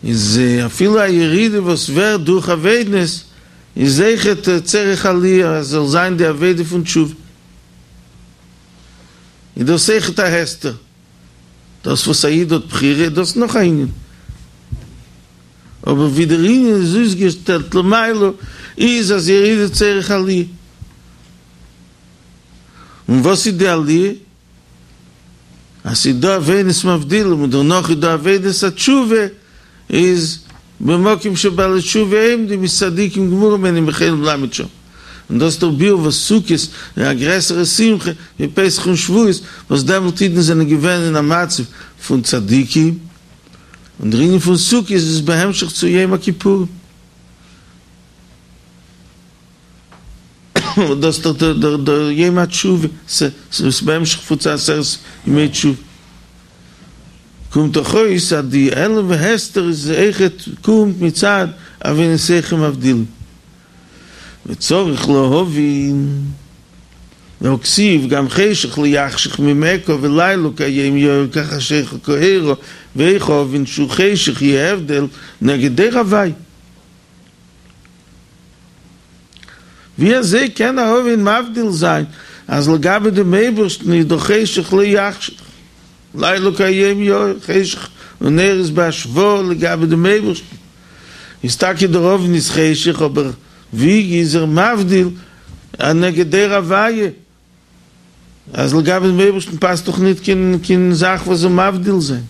איז אפילו א ירידה וואס ווערט דורך עבודות איז אויכעט צורך עליה אז זאל זיין די עבודה פון תשובה. איז דאס אויכעט א הסתר. דאס וואס א איד האט בחירה איז דאס נאך א ענין. אבער ווי דער ענין איז אויסגעשטעלט למעלה איז אז ירידה צורך עליה. און וואס איז די עליה? אז ס'איז דא עבודת מבדילים און דערנאך איז דא עבודת התשובה, איז במקום שבעלי תשובה עומדים איז צדיקים גמורים אינם יכולים לעמוד שם. און דאס איז דער ביאור וואס סוכות איז א גרעסערע שמחה ווי פסח און שבועות, וואס דעמאלט אידן זענען געווען אין א מצב פון צדיקים, און דער ענין פון סוכות איז בהמשך צו יום הכיפורים. דאס איז דאך דער יום התשובה, ס'איז בהמשך פון צו עשרת ימי תשובה. קומט דאך אויס אז די העלם והסתר איז אויכעט קומט מצד עוונותיכם מבדילים. וצריך להבין, והכתיב גם חשך לא יחשך ממך ולילה כהיום יאיר כחשיכה כאורה ואיך אבין שהוא חשך יהיה הבדל נגד אור הוי'. ווי אזוי קען א עוון מבדיל זיין אז לגבי דעם אייבערשטן איז דאך חשך לא יחשך, לילה כהיום יאיר, חשך און אור איז בהשוואה לגבי דעם אייבערשטן, איז טאקע דער עוון איז חשך אבער ווי איז ער מבדיל נגד אור הוויה אז לגבי דעם אייבערשטן פאסט דאך ניט קיין קיין זאך וואס זאל מבדיל זיין.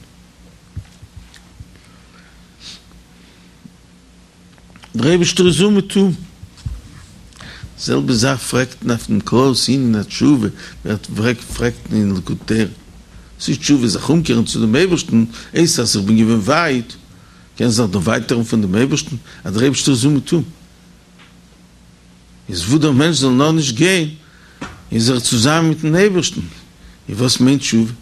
דער אייבערשטער איז אומעטום. די זעלבע זאך פרעגט מען אויף דעם כללות ענין התשובה, ווערט פרעגט מען אין ליקוטי תורה, וואס איז תשובה? זיך אומקערן צו דעם אייבערשטן, הייסט אז איך בין געווען ווייט, קען זיך דערווייטערן פון דעם אייבערשטן, אז דער אייבערשטער איז אומעטום. איז וואו דער מענטש זאל נאר נישט גיין, איז ער צוזאמען מיטן אייבערשטן. איז וואס מיינט תשובה?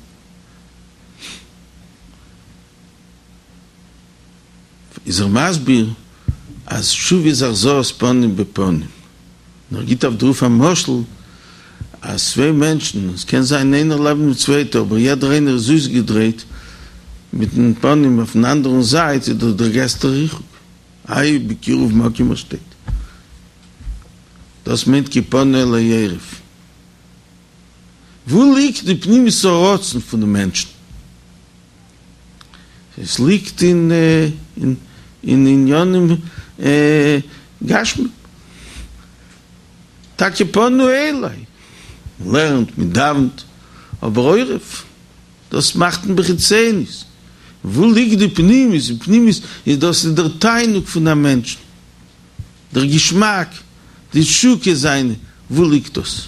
איז ער מסביר אז תשובה איז החזרת פנים בפנים, און ער גיט אויף דערויף א משל אז צוויי מענטשן, עס קען זיין איינער לעבן דעם צווייטע אבער יעדער איינער איז אויסגעדרייט מיטן פנים אויפן אנדערן זייט, איז דאס דער גרעסטער ריחוק, איי בקירוב מקום ער שטייט, דאס מיינט כי פנה אלי עורף. וואו ליגט די פנימיות הרצון פון די מענטשן? עס ליגט אין אין עניינים גשמיים. טאקע פנו אלי, מען לערנט, מען דאווענט, אבער עורף, דאס מאכט מען בחיצוניות. וואו ליגט די פנימיות? די פנימיות איז דאס איז דער תענוג פון א מענטשן, דער געשמאק, די תשוקה זיינע, וואו ליגט דאס?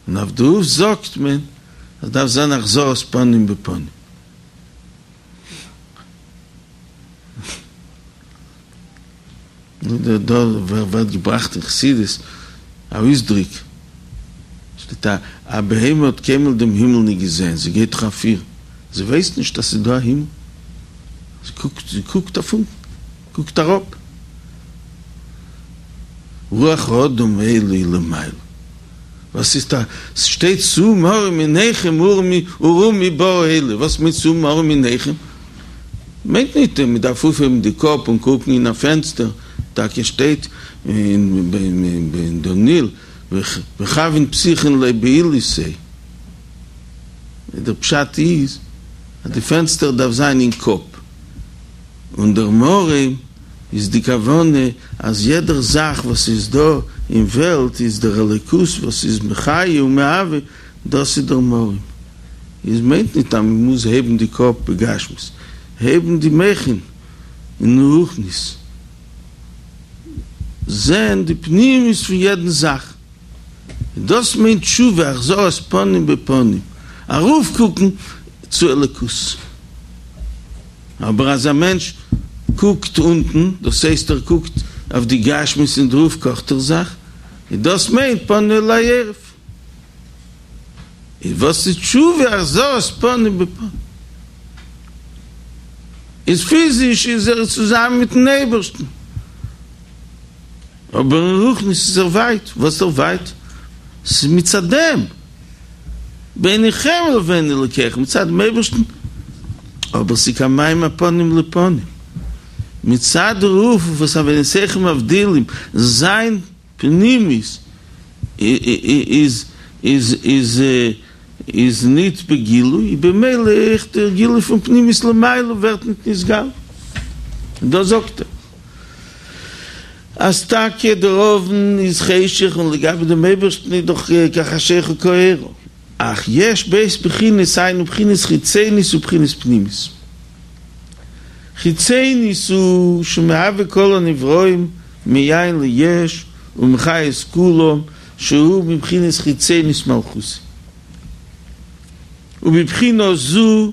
און אויף דערויף זאגט מען אז דארף זיין החזרת פנים בפנים. דא ווערט געבראכט אין חסידות א אויסדריק, שטייט א א בהמה האט קיינמאל דעם הימל נישט געזען, זי גייט דאך אויף פיר, זי ווייסט נישט אז ס'איז דא א הימל, זי קוקט זי קוקט אויף אונטן, קוקט אראפ. רוח האדם עולה למעלה. וואס איז דא? ס'שטייט שאו מרום עיניכם וראו מי ברא אלה. וואס מיינט שאו מרום עיניכם? מיינט ניט מען דארף אויפהייבן די קאפ און קוקן אין א פענסטער, טאקע שטייט אין דניאל וכוין פתיחין ליה בעילתיה. דער פשט איז אז די פענסטער דארף זיין אין קאפ, און דער מרום איז די כוונה אז יעדער זאך וואס איז דא אין וועלט איז דער אלוקות וואס איז מחיה ומהווה, דאס איז דער מרום. איז מיינט ניט אז מען מוז הייבן די קאפ בגשמיות, הייבן די מוחין אין רוחניות, זען די פנימיות פון יעדן זאך, דאס מיינט תשובה, החזרת פנים בפנים, ארויפקוקן צו אלוקות. אבער אז א מענטש קוקט אונטן, דאס הייסט ער קוקט אויף די גשמיות און דערויף קאכט ער זיך, און דאס מיינט פנה אלי עורף. איז וואס איז תשובה? החזרת פנים בפנים. איז פיזיש איז ער צוזאמען מיטן אייבערשטן, אבער אין רוחניות איז ער ווייט. וואס איז ער ווייט? ס'איז מצד דעם. ביניכם לבין אלוקיכם, מצד דעם אייבערשטן אבער ס'איז כמים הפנים לפנים. מצד דערויף וואס עוונותיכם מבדילים, זיין פנימיות איז איז איז איז ניט בגילוי, במילא אויך דער גילוי פון פנימיות למעלה ווערט ניט נתגלה. און דאס זאגט ער אז טאקע דער אוון איז חשך און לגבי דעם אייבערשטן איז דאך כחשיכה כאורה, אך יש ב' בחינות היינו בחינת חיצונית ובחינת פנימית. חיצונית הוא שמהווה כל הנבראים מאין ליש ומחיה את כולם שהוא בבחינת חיצונית מלכותו. ובבחינה זו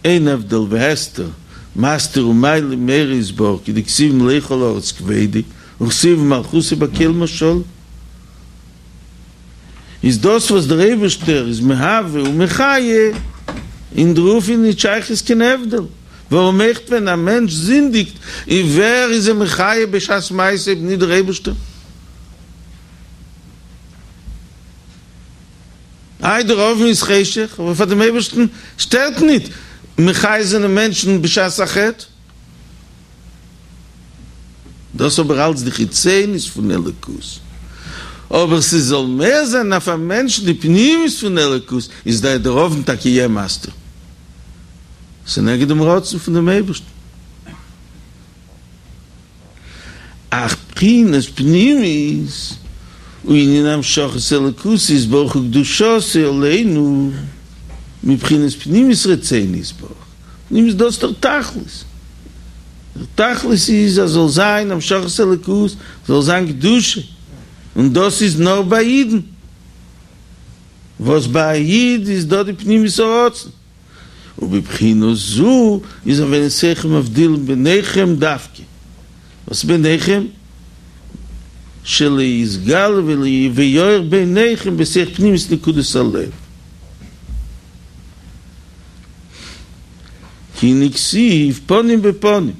אין הבדל והסתר, מסתיר ומעלים מאורו יתברך כדכתיב מלא כל הארץ כבודו וכתיב ומלכותו בכל משלה. איז דאס וואס דער אייבערשטער איז מהווה ומחיה, אין דערויף איז נישט שייכות קיין הבדל, ווארום אויכעט ווען א מענטש זינדיגט, איז ווער איז אים מחיה בשעת מעשה אויב נישט דער אייבערשטער? איי דער אוון איז חשך, אבער פאר דעם אייבערשטן שטערט ניט מחיה זיין מענטשן בשעת החטא. דאס אבער אלץ די חיצוניות פון אלוקות, אבער ס'זאל מאיר זיין אויף א מענטשן די פנימיות פון אלוקות, איז דאך דער אוון טאקע יע מסתיר, ס'נגד דעם רצון פון דעם אייבערשטן. אך בחינת פנימית הוא ענין המשכת אלוקות יתברך וקדושתו עלינו מבחינת פנימיות רצונו יתברך, פנימיות דאס דער תכלית, דער תכלית איז אז זאל זיין המשכת אלוקות, זאל זיין קדושה, און דאס איז נאר ביי אידן, וואס ביי א איד איז דא די פנימיות הרצון. ובבחינה זו איז עוונותיכם מבדילים ביניכם דווקא, וואס ביניכם? שלא יתגלה ויאיר ביניכם בתוך פנימיות נקודת הלב. כי הנה כתיב פנים בפנים,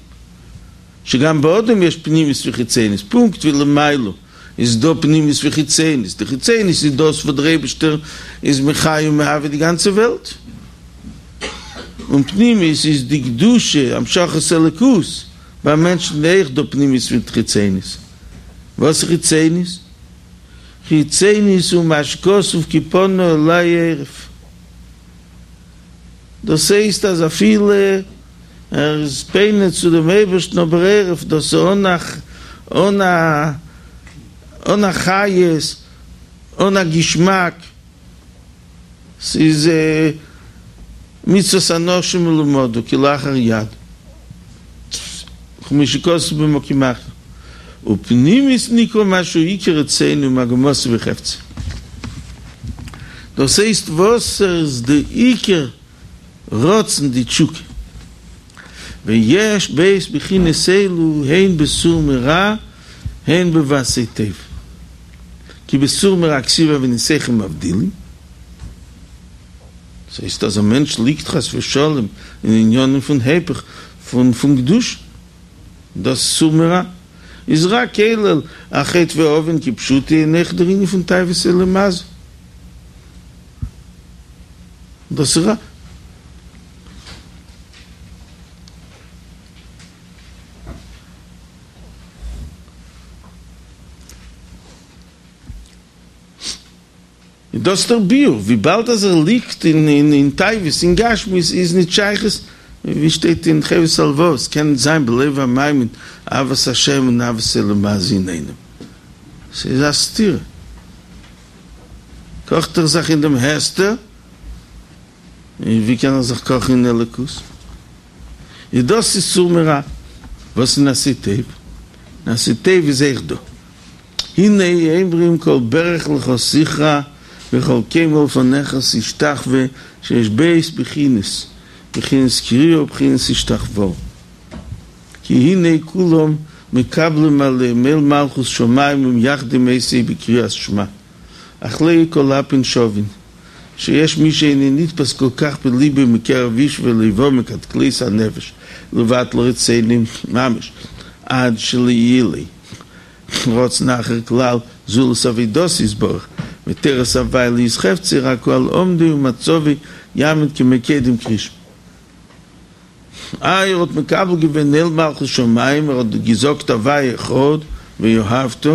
שגם באדם יש פנימיות וחיצוניות, פונקט ווי למעלה איז דא פנימיות וחיצוניות, די חיצוניות איז דאס וואס דער אייבערשטער איז מחיה ומהווה די גאנצע וועלט, און פנימיות איז די קדושה, המשכת אלוקות, ביי מענטשן איז אויך דא פנימיות מיט חיצוניות, וואס איז חיצוניות? חיצוניות הוא מה שכתוב כי פנה אלי עורף. דאס הייסט אז אפילו ער איז פונה צו דעם אייבערשטן אבער עורף דאס איז אן א אן א אן א חיות אן א געשמאק, ס'איז מצוות אנשים מלומדה כלאחר יד, כמו שכתוב במקום אחר, ופנימיות נקרא מה שהוא עיקר רצונו ומגמתו וחפצו. דאס הייסט וואס איז די עיקר רצון די תשוקה. ויש ב' בחינות אלו הן בסור מרע הן בבעשה טוב. כי בסור מרע כתיב עוונותיכם מבדילים. דאס הייסט אז א מענטש ליגט חס ושלום אין עניינים פון היפך פון קדושה. דאס סור מרע איז רע כולל א חטא ועוון כפשוטו און אויך דער ענין פון תאוות עולם הזה. דאס איז רע. און דאס איז דער ביאור, וויבאלד אז ער ליגט אין תאוות אין גשמיות איז נישט שייכות, ווי שטייט אין חובת הלבבות, קען נישט זיין בלב המאמין אהבת השם און אהבת עולם הזה אינאיינעם, ס'איז א סתירה, קאכט ער זיך אין דעם הסתר, און ווי קען ער זיך קאכן אין אלוקות? איז דאס איז סור מרע, וואס איז עשה טוב? עשה טוב איז אויך דא. הנה אומרים כל ברך לך תכרע וכל קומה לפניך תשתחוה שיש ב' בחינות, בחינת כריעה ובחינת השתחוואה. כי הנה כולם מקבלים עליהם עול מלכות שמים ומייחדים אותו בקריאת שמע, אך לא כל אפין שווין, שיש מי שאינו נתפס כל כך בליבו מקרב איש ולבו מקטקליות הנפש לבטל רצונו ממש עד שלא יהיה לו רצון אחר כלל זולת עבודתו יתברך ותורת הוי' להיות חפצו רק הוא על עמדו ומצבו יעמוד כמקודם קריאת שמע. איי ער האט מקבל געווען עול מלכות שמים, ער האט געזאגט הוי' אחד ואהבת,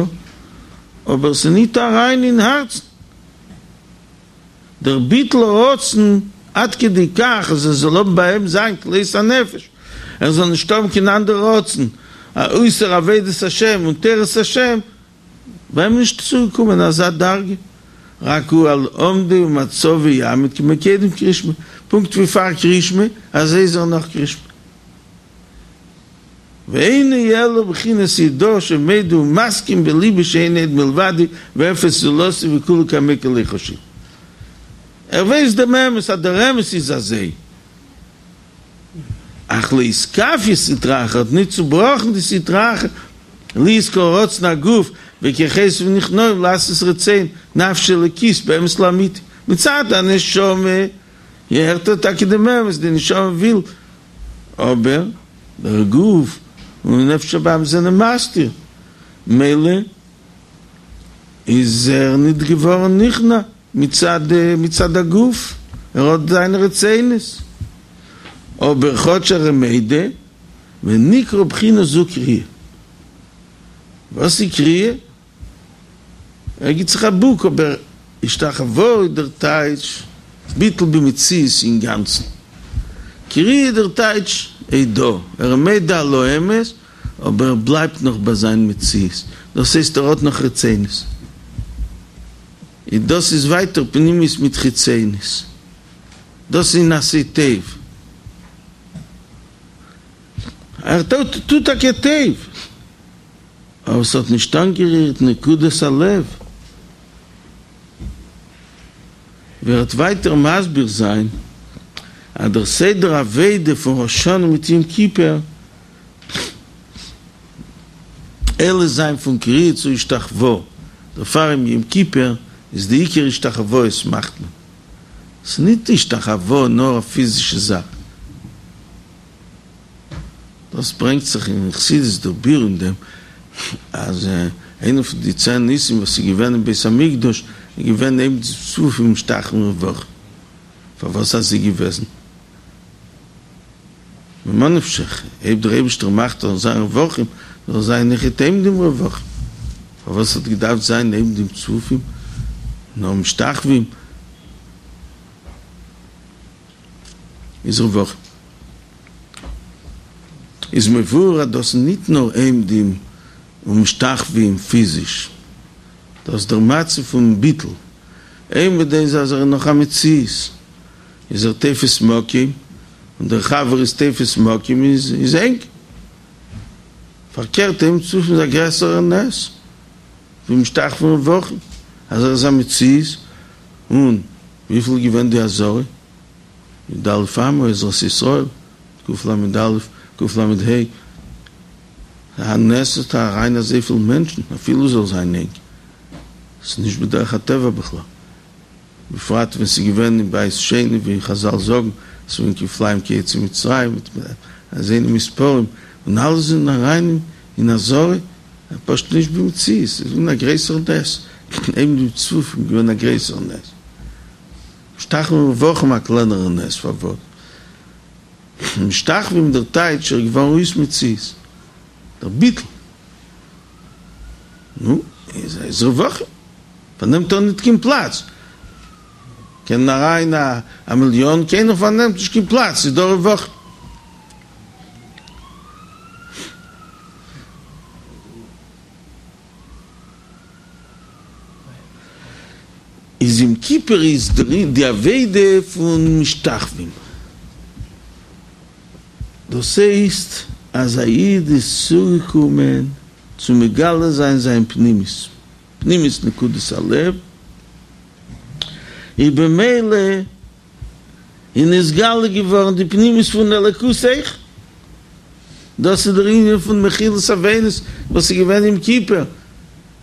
אבער ס'איז ניט אריין אין הארצן דער ביטול הרצון עד כדי כך אז עס זאל האבן ביי אים זיין כלות הנפש, ער זאל נישט האבן קיין אנדער רצון אויסער עבודת השם און תורת השם, ביי אים נישט צוגעקומען אזא דרגה, רק הוא על עמדו ומצבו יעמוד כמו קודם קרישמע, פונקט ווי פאר קרישמע, אזוי איז ער נאך קרישמע. ואינו אלא בחינת הודאה שמודה ומסכים בליבו שאין עוד מלבדו ואפס זולתו וכולא קמיה כלא חשיב. ער ווייסט דעם אמת אז דער אמת איז אזוי. אך לא אתכפיא סטרא אחרא האט ניט צובראכן די סטרא אחרא להיות כל רצון הגוף וכוחותיו נכנעים לעשות רצון נפשו האלוקית באמת לאמיתו. מצד הנשמה הערט ער טאקע דעם אמת, די נשמה וויל, אבער דער גוף און נפש הבהמית זענען מסתיר, מילא איז ער ניט געווארן נכנע. מצד מצד הגוף, ער האט זיינע רצונות, אבער כאטש ער איז מודה, ונקרא בחינה זו כריעה. וואס איז כריעה? ער גיט זיך א בוק, אבער השתחוואה איז דער טייטש ביטול במציאות אינגאנצן. כריעה איז דער טייטש הודאה, ער איז מודה על האמת, אבער ער בלייבט נאך ביי זיין מציאות, דאס הייסט ער האט נאך רצונות. און דאס איז ווייטער פנימיות מיט חיצוניות, דאס איז אין עשה טוב, ער טוט טאקע טוב, אבער ס'האט נישט אנגערירט נקודת הלב, ווי ער וועט ווייטער מסביר זיין אז דער סדר עבודה פון ראש השנה מיט יום כיפור עולה זיין פון כריעה צו השתחוואה, דערפאר אום יום כיפור איז די עיקר השתחוואות מאכט מען, ס'איז ניט השתחוואה נאר א פיזישע זאך, דאס ברענגט זיך אין חסידות דער ביאור אין דעם אז איינע פון די צען ניסים וואס איז געווען אין בית המקדש איז געווען עומדים צפופים ומשתחווים רווחים, פארוואס אזוי געוועזן? ממה נפשך, אויב דער אייבישטער מאכט זאל זיין רווחים, זאל זיין אויכעט עומדים רווחים, פארוואס האט געדארפט זיין עומדים צפופים נאר משתחווים איז רווחים? איז מבואר אז דאס איז ניט נאר עומדים ומשתחווים פיזיש, דאס איז דער מצב פון ביטול, עומד איז אז ער איז נאך א מציאות, איז ער תופס מקום, און דער חבר איז תופס מקום איז ענג. פארקערט עומדים צפופים איז א גרעסערער נס ווי משתחווים רווחים, אז ער איז א מציאות, און וויפיל איז געווען די עזרה? י"א אמה עזרת ישראל, קל"א, קל"ה, א נס אז אריין אזויפיל מענטשן אפילו זאל זיין ענג, ס'איז נישט בדרך הטבע בכלל. בפרט ווען ס'איז געווען אין בית שני ווי חזל זאגן ס'איז געווען כפליים כיוצאי מצרים מיט אזוינע מספרים און אלע זענען אריין אין עזרה, פשוט נישט במציאות, ס'איז געווען א גרעסערע נס, עומדים צפופים איז געווען א גרעסערע נס, משתחווים רווחים א קלענערע נס, פארוואס? משתחווים דער טייטש ער איז געווארן אויס מציאות, דער ביטול, נו, איז רווחים. פארנעמט ער ניט קיין פלאץ. קען אריין א מיליאן, קיינער פארנעמט נישט קיין פלאץ, ס'איז דא רווחים. איז יום כיפור איז די עבודה פון משתחווים. דאס הייסט אז א איד איז צוגעקומען צו מגלה זיין זיין פנימיות. פנימיות נקודת הלב, איז במילא איז נתגלה געווארן די פנימיות פון אלוקות אויך, דאס איז דער ענין פון מחילת עוונות וואס איז געווען יום כיפור,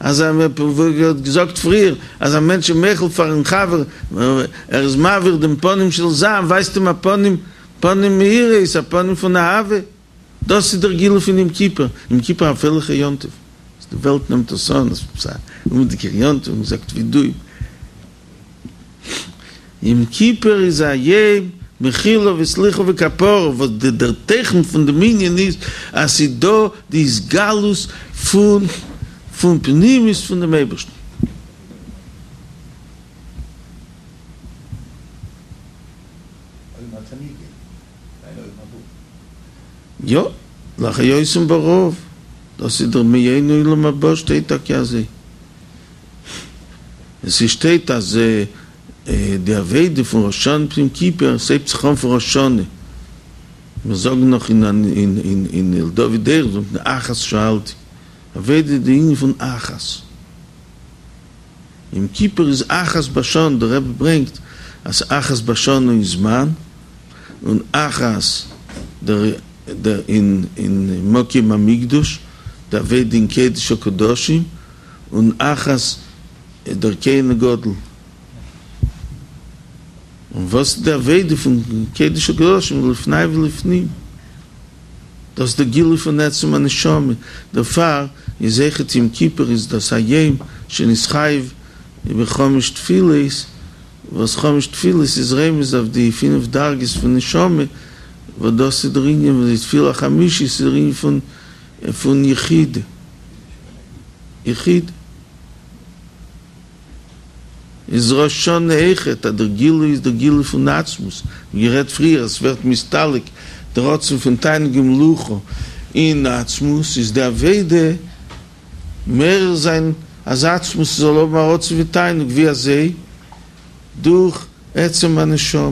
אז ווי האט געזאגט פריער אז א מענטש איז מוחל פארן חבר, ער איז מעביר דעם פנים של זעם, ווייזט אים א פנים, פנים מאירות, א פנים פון אהבה. דאס איז דער גילוי פון יום כיפור, יום כיפור א פרייליכע יום טוב, די וועלט נעמט עס אן אז ס'איז א אומעטיגער יום טוב, מען זאגט וידוי, יום כיפור איז א יום מחילה וסליחה וכפרה, וואס דער תוכן פון דעם ענין איז אז ס'איז דא די התגלות פון פון פנימיות פון דעם אייבערשטן. יא, להחיותם ברעב, דאס איז דער מעין עולם הבא שטייט טאקע אזוי. און ס'שטייט אז די עבודה פון ראש השנה יום כיפור, ס'הייבט זיך אן פון ראש השנה, מיר זאגן נאך אין אין לדוד אורך זאגט מען אחת שאלתי, עבודה איז די ענין פון אחת, יום כיפור איז אחת בשנה, דער רבי ברענגט אז אחת בשנה אין זמן, און אחת דער אין מקום המקדש, די עבודה אין קודש הקדשים, און אחת דער כהן הגדול. און וואס איז די עבודה פון קודש הקדשים לפני ולפנים? דאס איז די גילוי פון עצם הנשמה, דערפאר איז אויכעט יום כיפור איז דאס א יום שנתחייב בחמש תפילות, וואס חמש תפילות איז רמז אויף די פינף דרגות פון נשמה, וואס דאס איז דער ענין וואס די תפילה חמישית איז דער ענין פון פון יחידה, יחידה. איז ראש השנה אויכעט אז דער גילוי איז דער גילוי פון עצמות, ווי גערעדט פריער עס ווערט מסתלק דער רצון פון תענוג ומלוכה אין עצמות, איז די עבודה מעורר זיין אז עצמות זאל האבן א רצון ותענוג, ווי אזוי? דורך עצם הנשמה.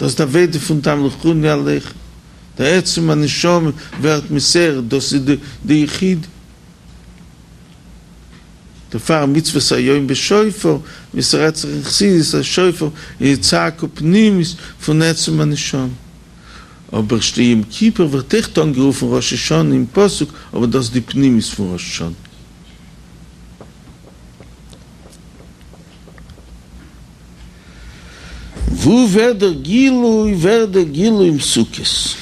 דאס איז די עבודה פון תמליכוני עליכם, דער עצם הנשמה ווערט נתעורר, דאס איז די יחידה. דערפאר מצוות היום בשופר, ווי ס'רעדט זיך אין חסידות אז שופר איז צעקה פנימית פון עצם הנשמה. אבער יום כיפור ווערט אויכעט אנגערופן ראש השנה אין פסוק, אבער דאס איז די פנימיות פון ראש השנה. וואו ווערט דער גילוי? ווערט דער גילוי אין סוכות.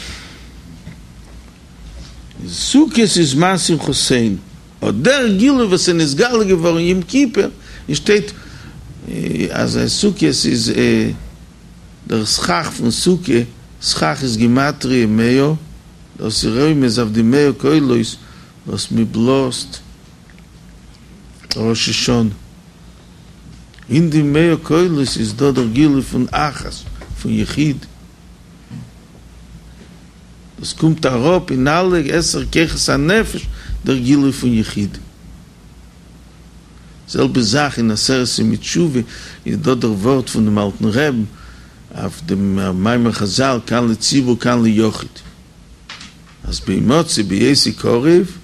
סוכות איז זמן שמחתינו. אט דער גילוי וואס איז נתגלה געווארן יום כיפור, און שטייט אז סוכות איז דער סכך פון סוכה, סכך איז גימטריא מאה, דאס איז רומז אויף די מאה קולות וואס מען בלאזט ראש השנה. אין די מאה קולות איז דא דער גילוי פון אחת, פון יחיד. דאס קומט אראפ אין אלע עשר כוחות הנפש דער גילוי פון יחיד. זעלבע זאך אין עשרת ימי תשובה איז דא דער ווארט פון דעם אלטן רעבן אויף דעם מאמר חזל כאן לציבור כאן ליחיד אז בהמצאו בהיותו קרוב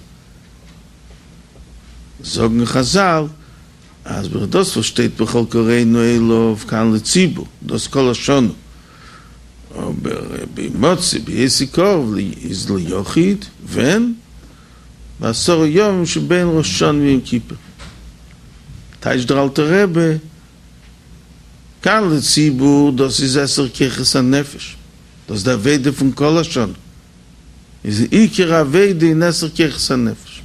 זאגן חזל אז דאס וואס שטייט בכל קראנו אליו כאן לציבור דאס כל השנה אבער בהמצאו בהיותו קרוב איז ליחיד, ווען? בעשרה ימים שבין ראש השנה ליום כיפור. טייטשט דער אלטער רבי, כאן לציבור דאס איז עשר כוחות הנפש, דאס איז די עבודה פון כל השנה, איז עיקר העבודה אין עשר כוחות הנפש.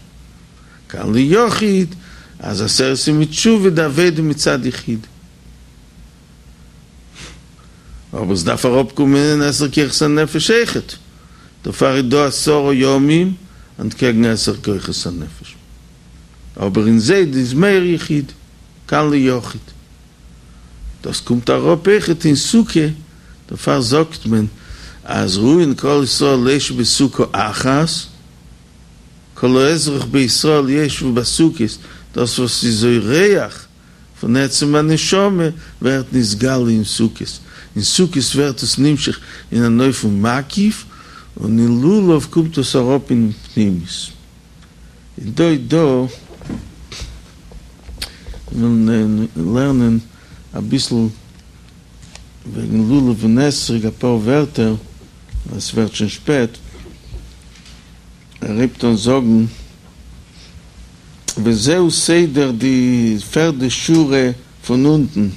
כאן ליחיד, אז עשרת ימי תשובה די עבודה מצד יחידה. אבער עס דארף אראפקומען אין עשר כוחות הנפש אויכעט, דערפאר איז דא עשרה ימים אנטקעגן עשר כוחות הנפש, אבער אין זיי איז מער יחיד, כאן ליחיד. דאס קומט אראפ אויכעט אין סוכה, דערפאר זאגט מען אז ראויין כל ישראל לישב בסוכה אחת, כל האזרח בישראל ישבו בסוכות, דאס וואס איז אורח פון עצם הנשמה ווערט נתגלה אין סוכות, אין סוכות ווערט עס נמשך אין אן אופן מקיף, און אין לולב קומט עס אראפ אין פנימיות. און דא איז דא, ווילן לערנען אביסל וועגן לולב און אתרוג אפאר ווערטער, ווייל עס ווערט שוין שפעט. ער הייבט אן זאגן וזהו סדר די פערדע שורה פון אונטן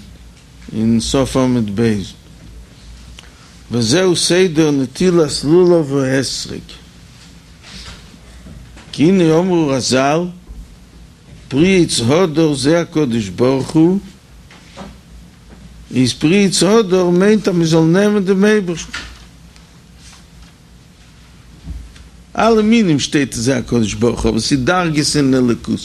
אין סוף עמוד ב', וזהו סדר נטילת לולב ואתרוג, כי הנה אמרו רז"ל פרי עץ הדר זה הקדוש ברוך הוא, איז פרי עץ הדר מיינט אז מ'זאל נעמען דעם אייבערשטן. אלע מינים שטייט זה הקדוש ברוך הוא, אבער ס'איז דרגות אין אלוקות.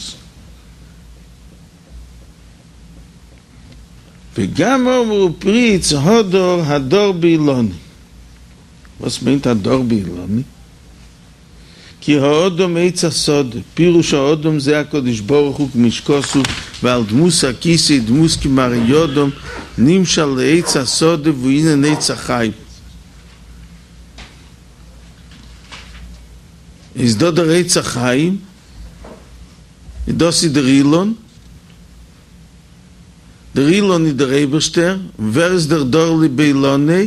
וגם אמרו פרי עץ הדר הדר באילנו. וואס מיינט הדר באילנו? כי האדם עץ השדה, פירוש האדם זה הקדוש ברוך הוא כמו שכתוב ועל דמות הכיסא דמות כמראה אדם נמשל לעץ השדה והוא ענין עץ החיים. איז דא דער עץ החיים, און דאס איז דער אילן, דער אילן איז דער אייבערשטער, און ווער איז דער דר לי באילניה?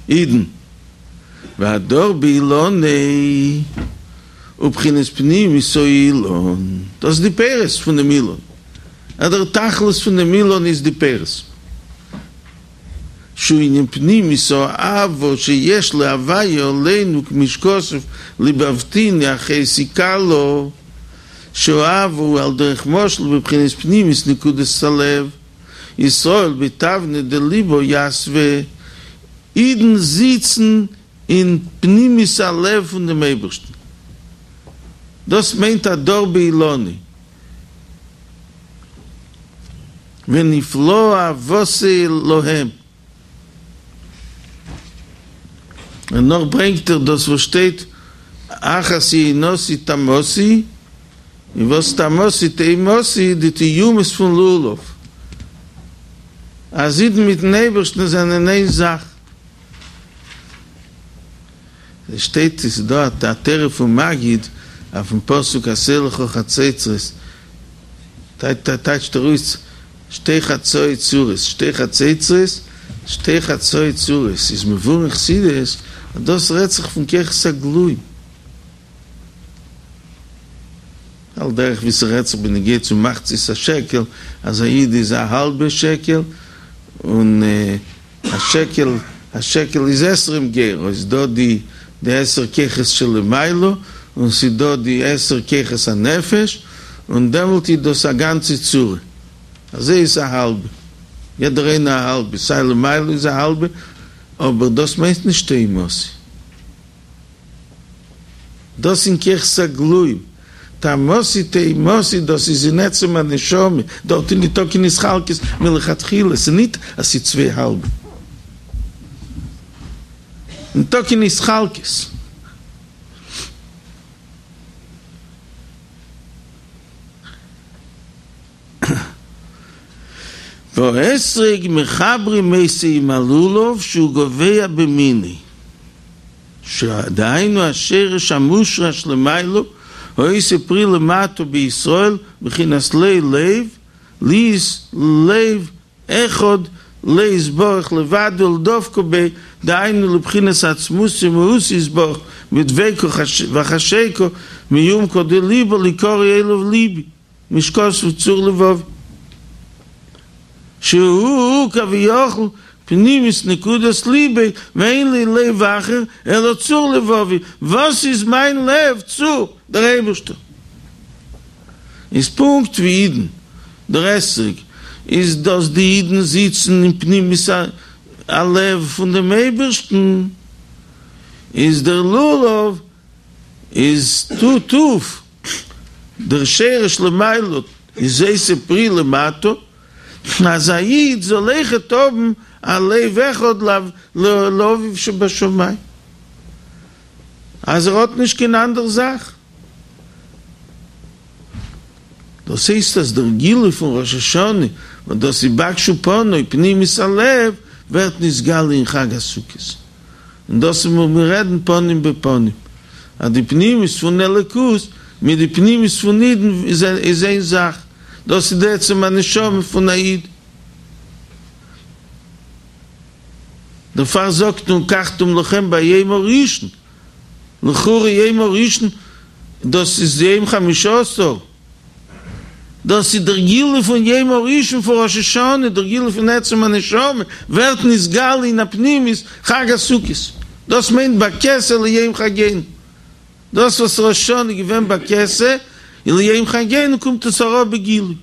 אידן. והדר באילניה הוא בחינת פנימיות האילן, דאס איז די פירות פון דעם אילן, אז דער תכלית פון דעם אילן איז די פירות, שהוא ענין פנימיות האהבה שיש להוויה עלינו כמו שכתוב לבבתיני אחותי כלה, שהאהבה הוא על דרך משל בבחינת פנימיות נקודת הלב, ישראל בתבנא דליבא יתבי, אידן זיצן אין פנימיות הלב פון דעם אייבערשטן, דאס מיינט הדר באילניה, ונפלאה אהבתו להם. און נאך ברענגט ער דאס וואס שטייט אחת יונתי תמתי, און וואס תמתי תאומתי די תאומות פון לולב, אז אידן מיטן אייבערשטן זענען איין זאך. עס שטייט עס איז דא א תורה פון מגיד אויפן פסוק עשה לך חצוצרות, טייטשט ער אויס שתי חצאי צורות, שתי חצוצרות, שתי חצאי צורות, איז מבואר אין חסידות אז דאס רעדט זיך פון כוחות הגלויים, על דרך ווי ס'רעדט זיך בנוגע צו מחצית השקל, אז א איד איז א האלבע שקל, און א שקל, א שקל איז עשרים גרה, איז דא די די עשר כוחות שלמעלה, און ס'איז דא די עשר כוחות הנפש, און דעמאלט איז דאס א גאנצע צורה, אזוי איז א האלבע, יעדער איינער א האלבע, סיי למעלה איז א האלבע, אבער דאס מיינט נישט תאומתי. דאס אין כוחות הגלויים, תמתי תאומתי דאס איז אין עצם הנשמה, דארט איז ניטא קיין התחלקות מלכתחילה, ס'איז ניט אז ס'איז צוויי האלבע, ניטא קיין התחלקות. והאתרוג מחברים אותו עם הלולב שהוא גבוה במינו, שדהיינו השרש המושרש למעלה העושה פרי למטה בישראל בחינת לו לב להיות לב אחד לו יתברך לבדו ולדבקה בו דהיינו לבחינת עצמותו ומהותו יתברך בדבקה וחשיקה מעומקא דליבא ליקרא אליו ליבי כמו שכתוב צור לבבי שהוא כביכול פנימיות נקודת ליבו ואין לי לב אחר אלא צור לבבי, וואס איז מיין לב? צור, דער אייבערשטער. איז פונקט ווי אידן, דער אתרוג איז דאס די אידן זיצן אין פנימיות הלב פון דעם אייבערשטן, איז דער לולב איז טוט אויף דער שרש למעלה איז עושה פרי למטה, אז א איד זאל אויכעט האבן א לב אחד לאביו שבשמים, אז ער האט נישט קיין אנדער זאך. דאס הייסט אז דער גילוי פון ראש השנה, וואס דאס איז בקשו פני פנימיות הלב, ווערט נתגלה אין חג הסוכות. און דאס איז וואס מיר רעדן פנים בפנים, אז די פנימיות פון אלוקות מיט די פנימיות פון אידן איז איין זאך, דאס איז די עצם הנשמה פון א איד. דערפאר זאגט מען ולקחתם לכם ביום הראשון, לכאורה יום הראשון דאס איז יום חמישה עשר, דאס איז דער גילוי פון יום הראשון פון ראש השנה, דער גילוי פון עצם הנשמה ווערט נתגלה אין א פנימיות חג הסוכות, דאס מיינט בכסה ליום חגינו, דאס וואס ראש השנה איז געווען בכסה און ליום חגינו קומט עס אראפ בגילוי.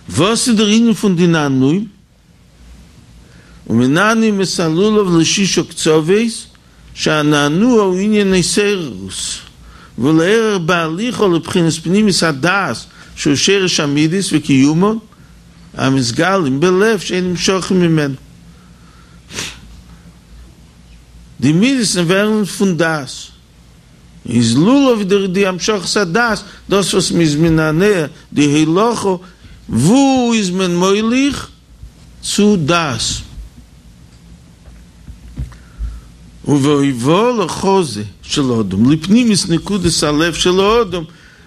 וואס איז דער ענין פון די נענועים? ומנענעים את הלולב לשישה קצוות, שהנענוע הוא ענין התעוררות, ולעורר בהליכה לבחינת פנימיות הדעת שהוא שרש המידות וקיומן המתגלים בלב שאין נמשכים ממנו. די מידות ווערן פון דעת. איז לולב דער די המשכת הדעת, דאס וואס מ'איז מנענע די הולכה, וואו איז מען מוליך? צו דעת. ובהובאה לחזה של אדם, לפנימיות נקודת הלב של האדם,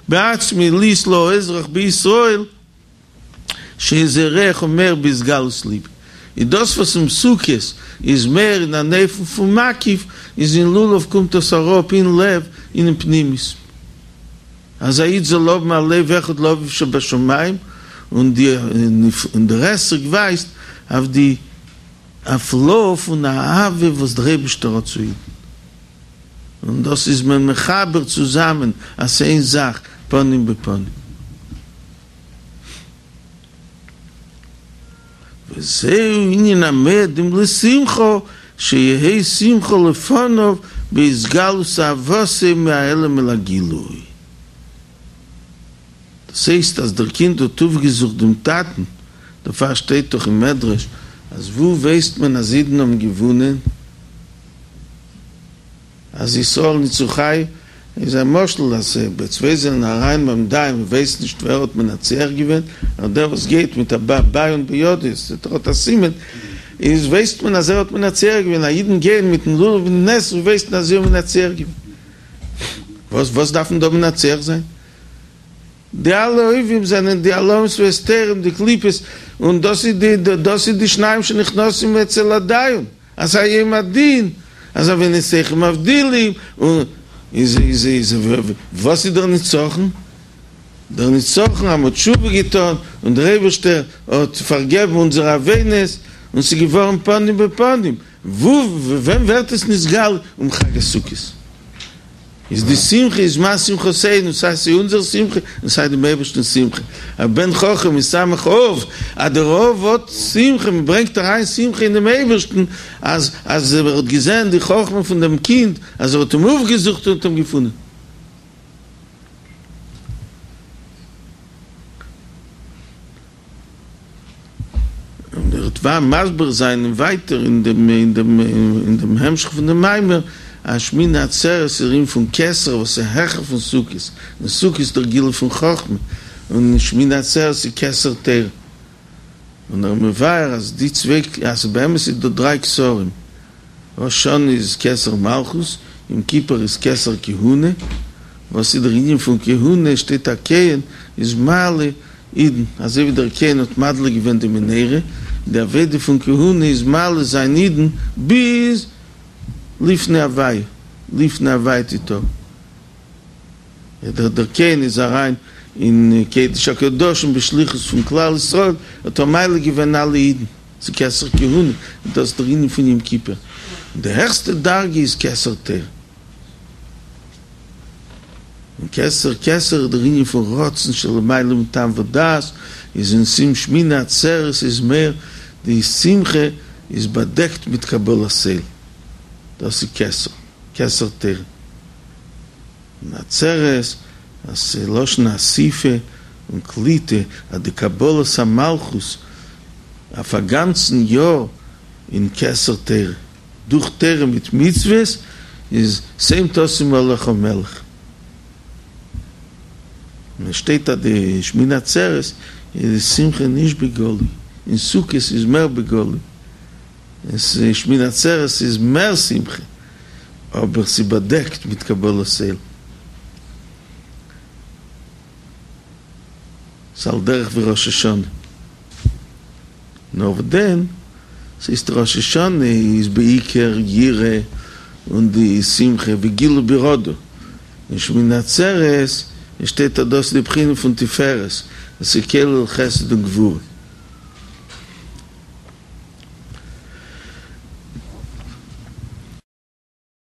בעצמו להיות לו אזרח בישראל, שזה ריח אומר בהתגלות ליבו. איז דאס וואס אין סוכות איז מער אין אן אופן פון מקיף, איז אין לולב קומט דאס אראפ אין לב אינעם פנימיות. אז א איד זאל האבן א לב אחד לאביו שבשמים, און די און דער אתרוג ווייזט אויף די הפלאה פון אהבה וואס דער אייבערשטער האט צו אידן, און דאס איז מען מחבר צוזאמען אז ס'איז איין זאך פנים בפנים. וזהו ענין המועדים לשמחה, שיהא שמחה לפניו בהתגלות אהבתו מהעלם אל הגילוי. דאס הייסט אז דער קינד האט אויפגעזוכט דעם טאטן, דערפאר שטייט דאך אין מדרש אז וואו ווייסט מען אז אידן האבן געוואונען? אז ישראל ניצחו איז א משל אז ביי צוויי זענען אריין ביים דיין מען ווייסט נישט ווער האט מנצח געווען, נאר דער וואס גייט מיט א ביון בידו ער האט א סימן איז ווייסט מען אז ער האט מנצח געווען, אז אידן גייען מיטן לולב און אתרוג ווייסט מען אז זיי האבן מנצח געווען. וואס וואס דארף מען דא מנצח זיין? די אלע אויבים זענען די העלמות והסתרים די קליפות און דאס איז די דאס איז די שניים שנכנסים אצל הדיין אז א יום הדין אז עונותיכם מבדילים און איז איז איז וואס איז דער נצחון? דער נצחון אז מ'האט תשובה געטון און דער אייבערשטער האט פארגעבן אונזערע עוונות און ס'איז געווארן פנים בפנים, וואו ווען ווערט עס נתגלה? אום חג הסוכות. איז די שמחה איז מה שמחתינו, סיי ס'איז אונזער שמחה און סיי דעם אייבערשטנ'ס שמחה, א בן חכם ישמח אב, אז דער אב האט שמחה, מען ברענגט אריין שמחה אין דעם אייבערשטן, אז אז ער האט געזען די חכמה פון דעם קינד, אז ער האט אים אויפגעזוכט און האט אים געפונען. און ער וועט מסביר זיין און ווייטער אין דעם אין דעם אין דעם המשך פון דעם מאמר אז שמיני עצרת איז דער ענין פון כתר וואס איז העכער פון סוכות, און סוכות איז דער גילוי פון חכמה, און שמיני עצרת איז כתר תורה. און ער מבאר אז די צוויי אז באמת איז דא דריי כתרים, ראש השנה איז כתר מלכות, יום כיפור איז כתר כהונה, וואס איז דער ענין פון כהונה, שטייט א כהן איז מעלה אידן, אזוי ווי דער כהן האט מדליק געווען די מנורה, די עבודה פון כהונה איז מעלה זיין אידן ביז לפני הוויה, לפני הוויה תטהרו. דער דער כהן איז אריין אין קדש הקדשים בשליחות פון כלל ישראל, האט ער מעלה געווען אלע אידן, ס'איז כתר כהונה, און דאס איז דער ענין פון יום כיפור, און די העכסטע דרגה איז כתר תורה. און כתר כתר איז דער ענין פון רצון שלמעלה מטעם ודעת, איז אין סיום שמיני עצרת איז מער די שמחה איז באדעקט מיט קבלת עול, דאס איז כתר, כתר תורה. און עצרת, אז ס'איז לשון אסיפה און קליטה, אז די קבלת המלכות אויף א גאנצן יאר אין כתר תורה, דורך תורה מיט מצוות, איז שום תשים עליך מלך. און עס שטייט אז די שמיני עצרת איז די שמחה נישט בגלוי, אין סוכות איז מער בגלוי, אין שמיני עצרת איז מער שמחה, אבער ס'איז באדעקט מיט קבלת עול. ס'איז על דרך ווי ראש השנה. נאר וואס דען, ס'איז ראש השנה איז בעיקר יראה און די שמחה וגילו ברעדה, און שמיני עצרת שטייט אז דאס איז די בחינה פון תפארת, עס איז כולל חסד און גבורה.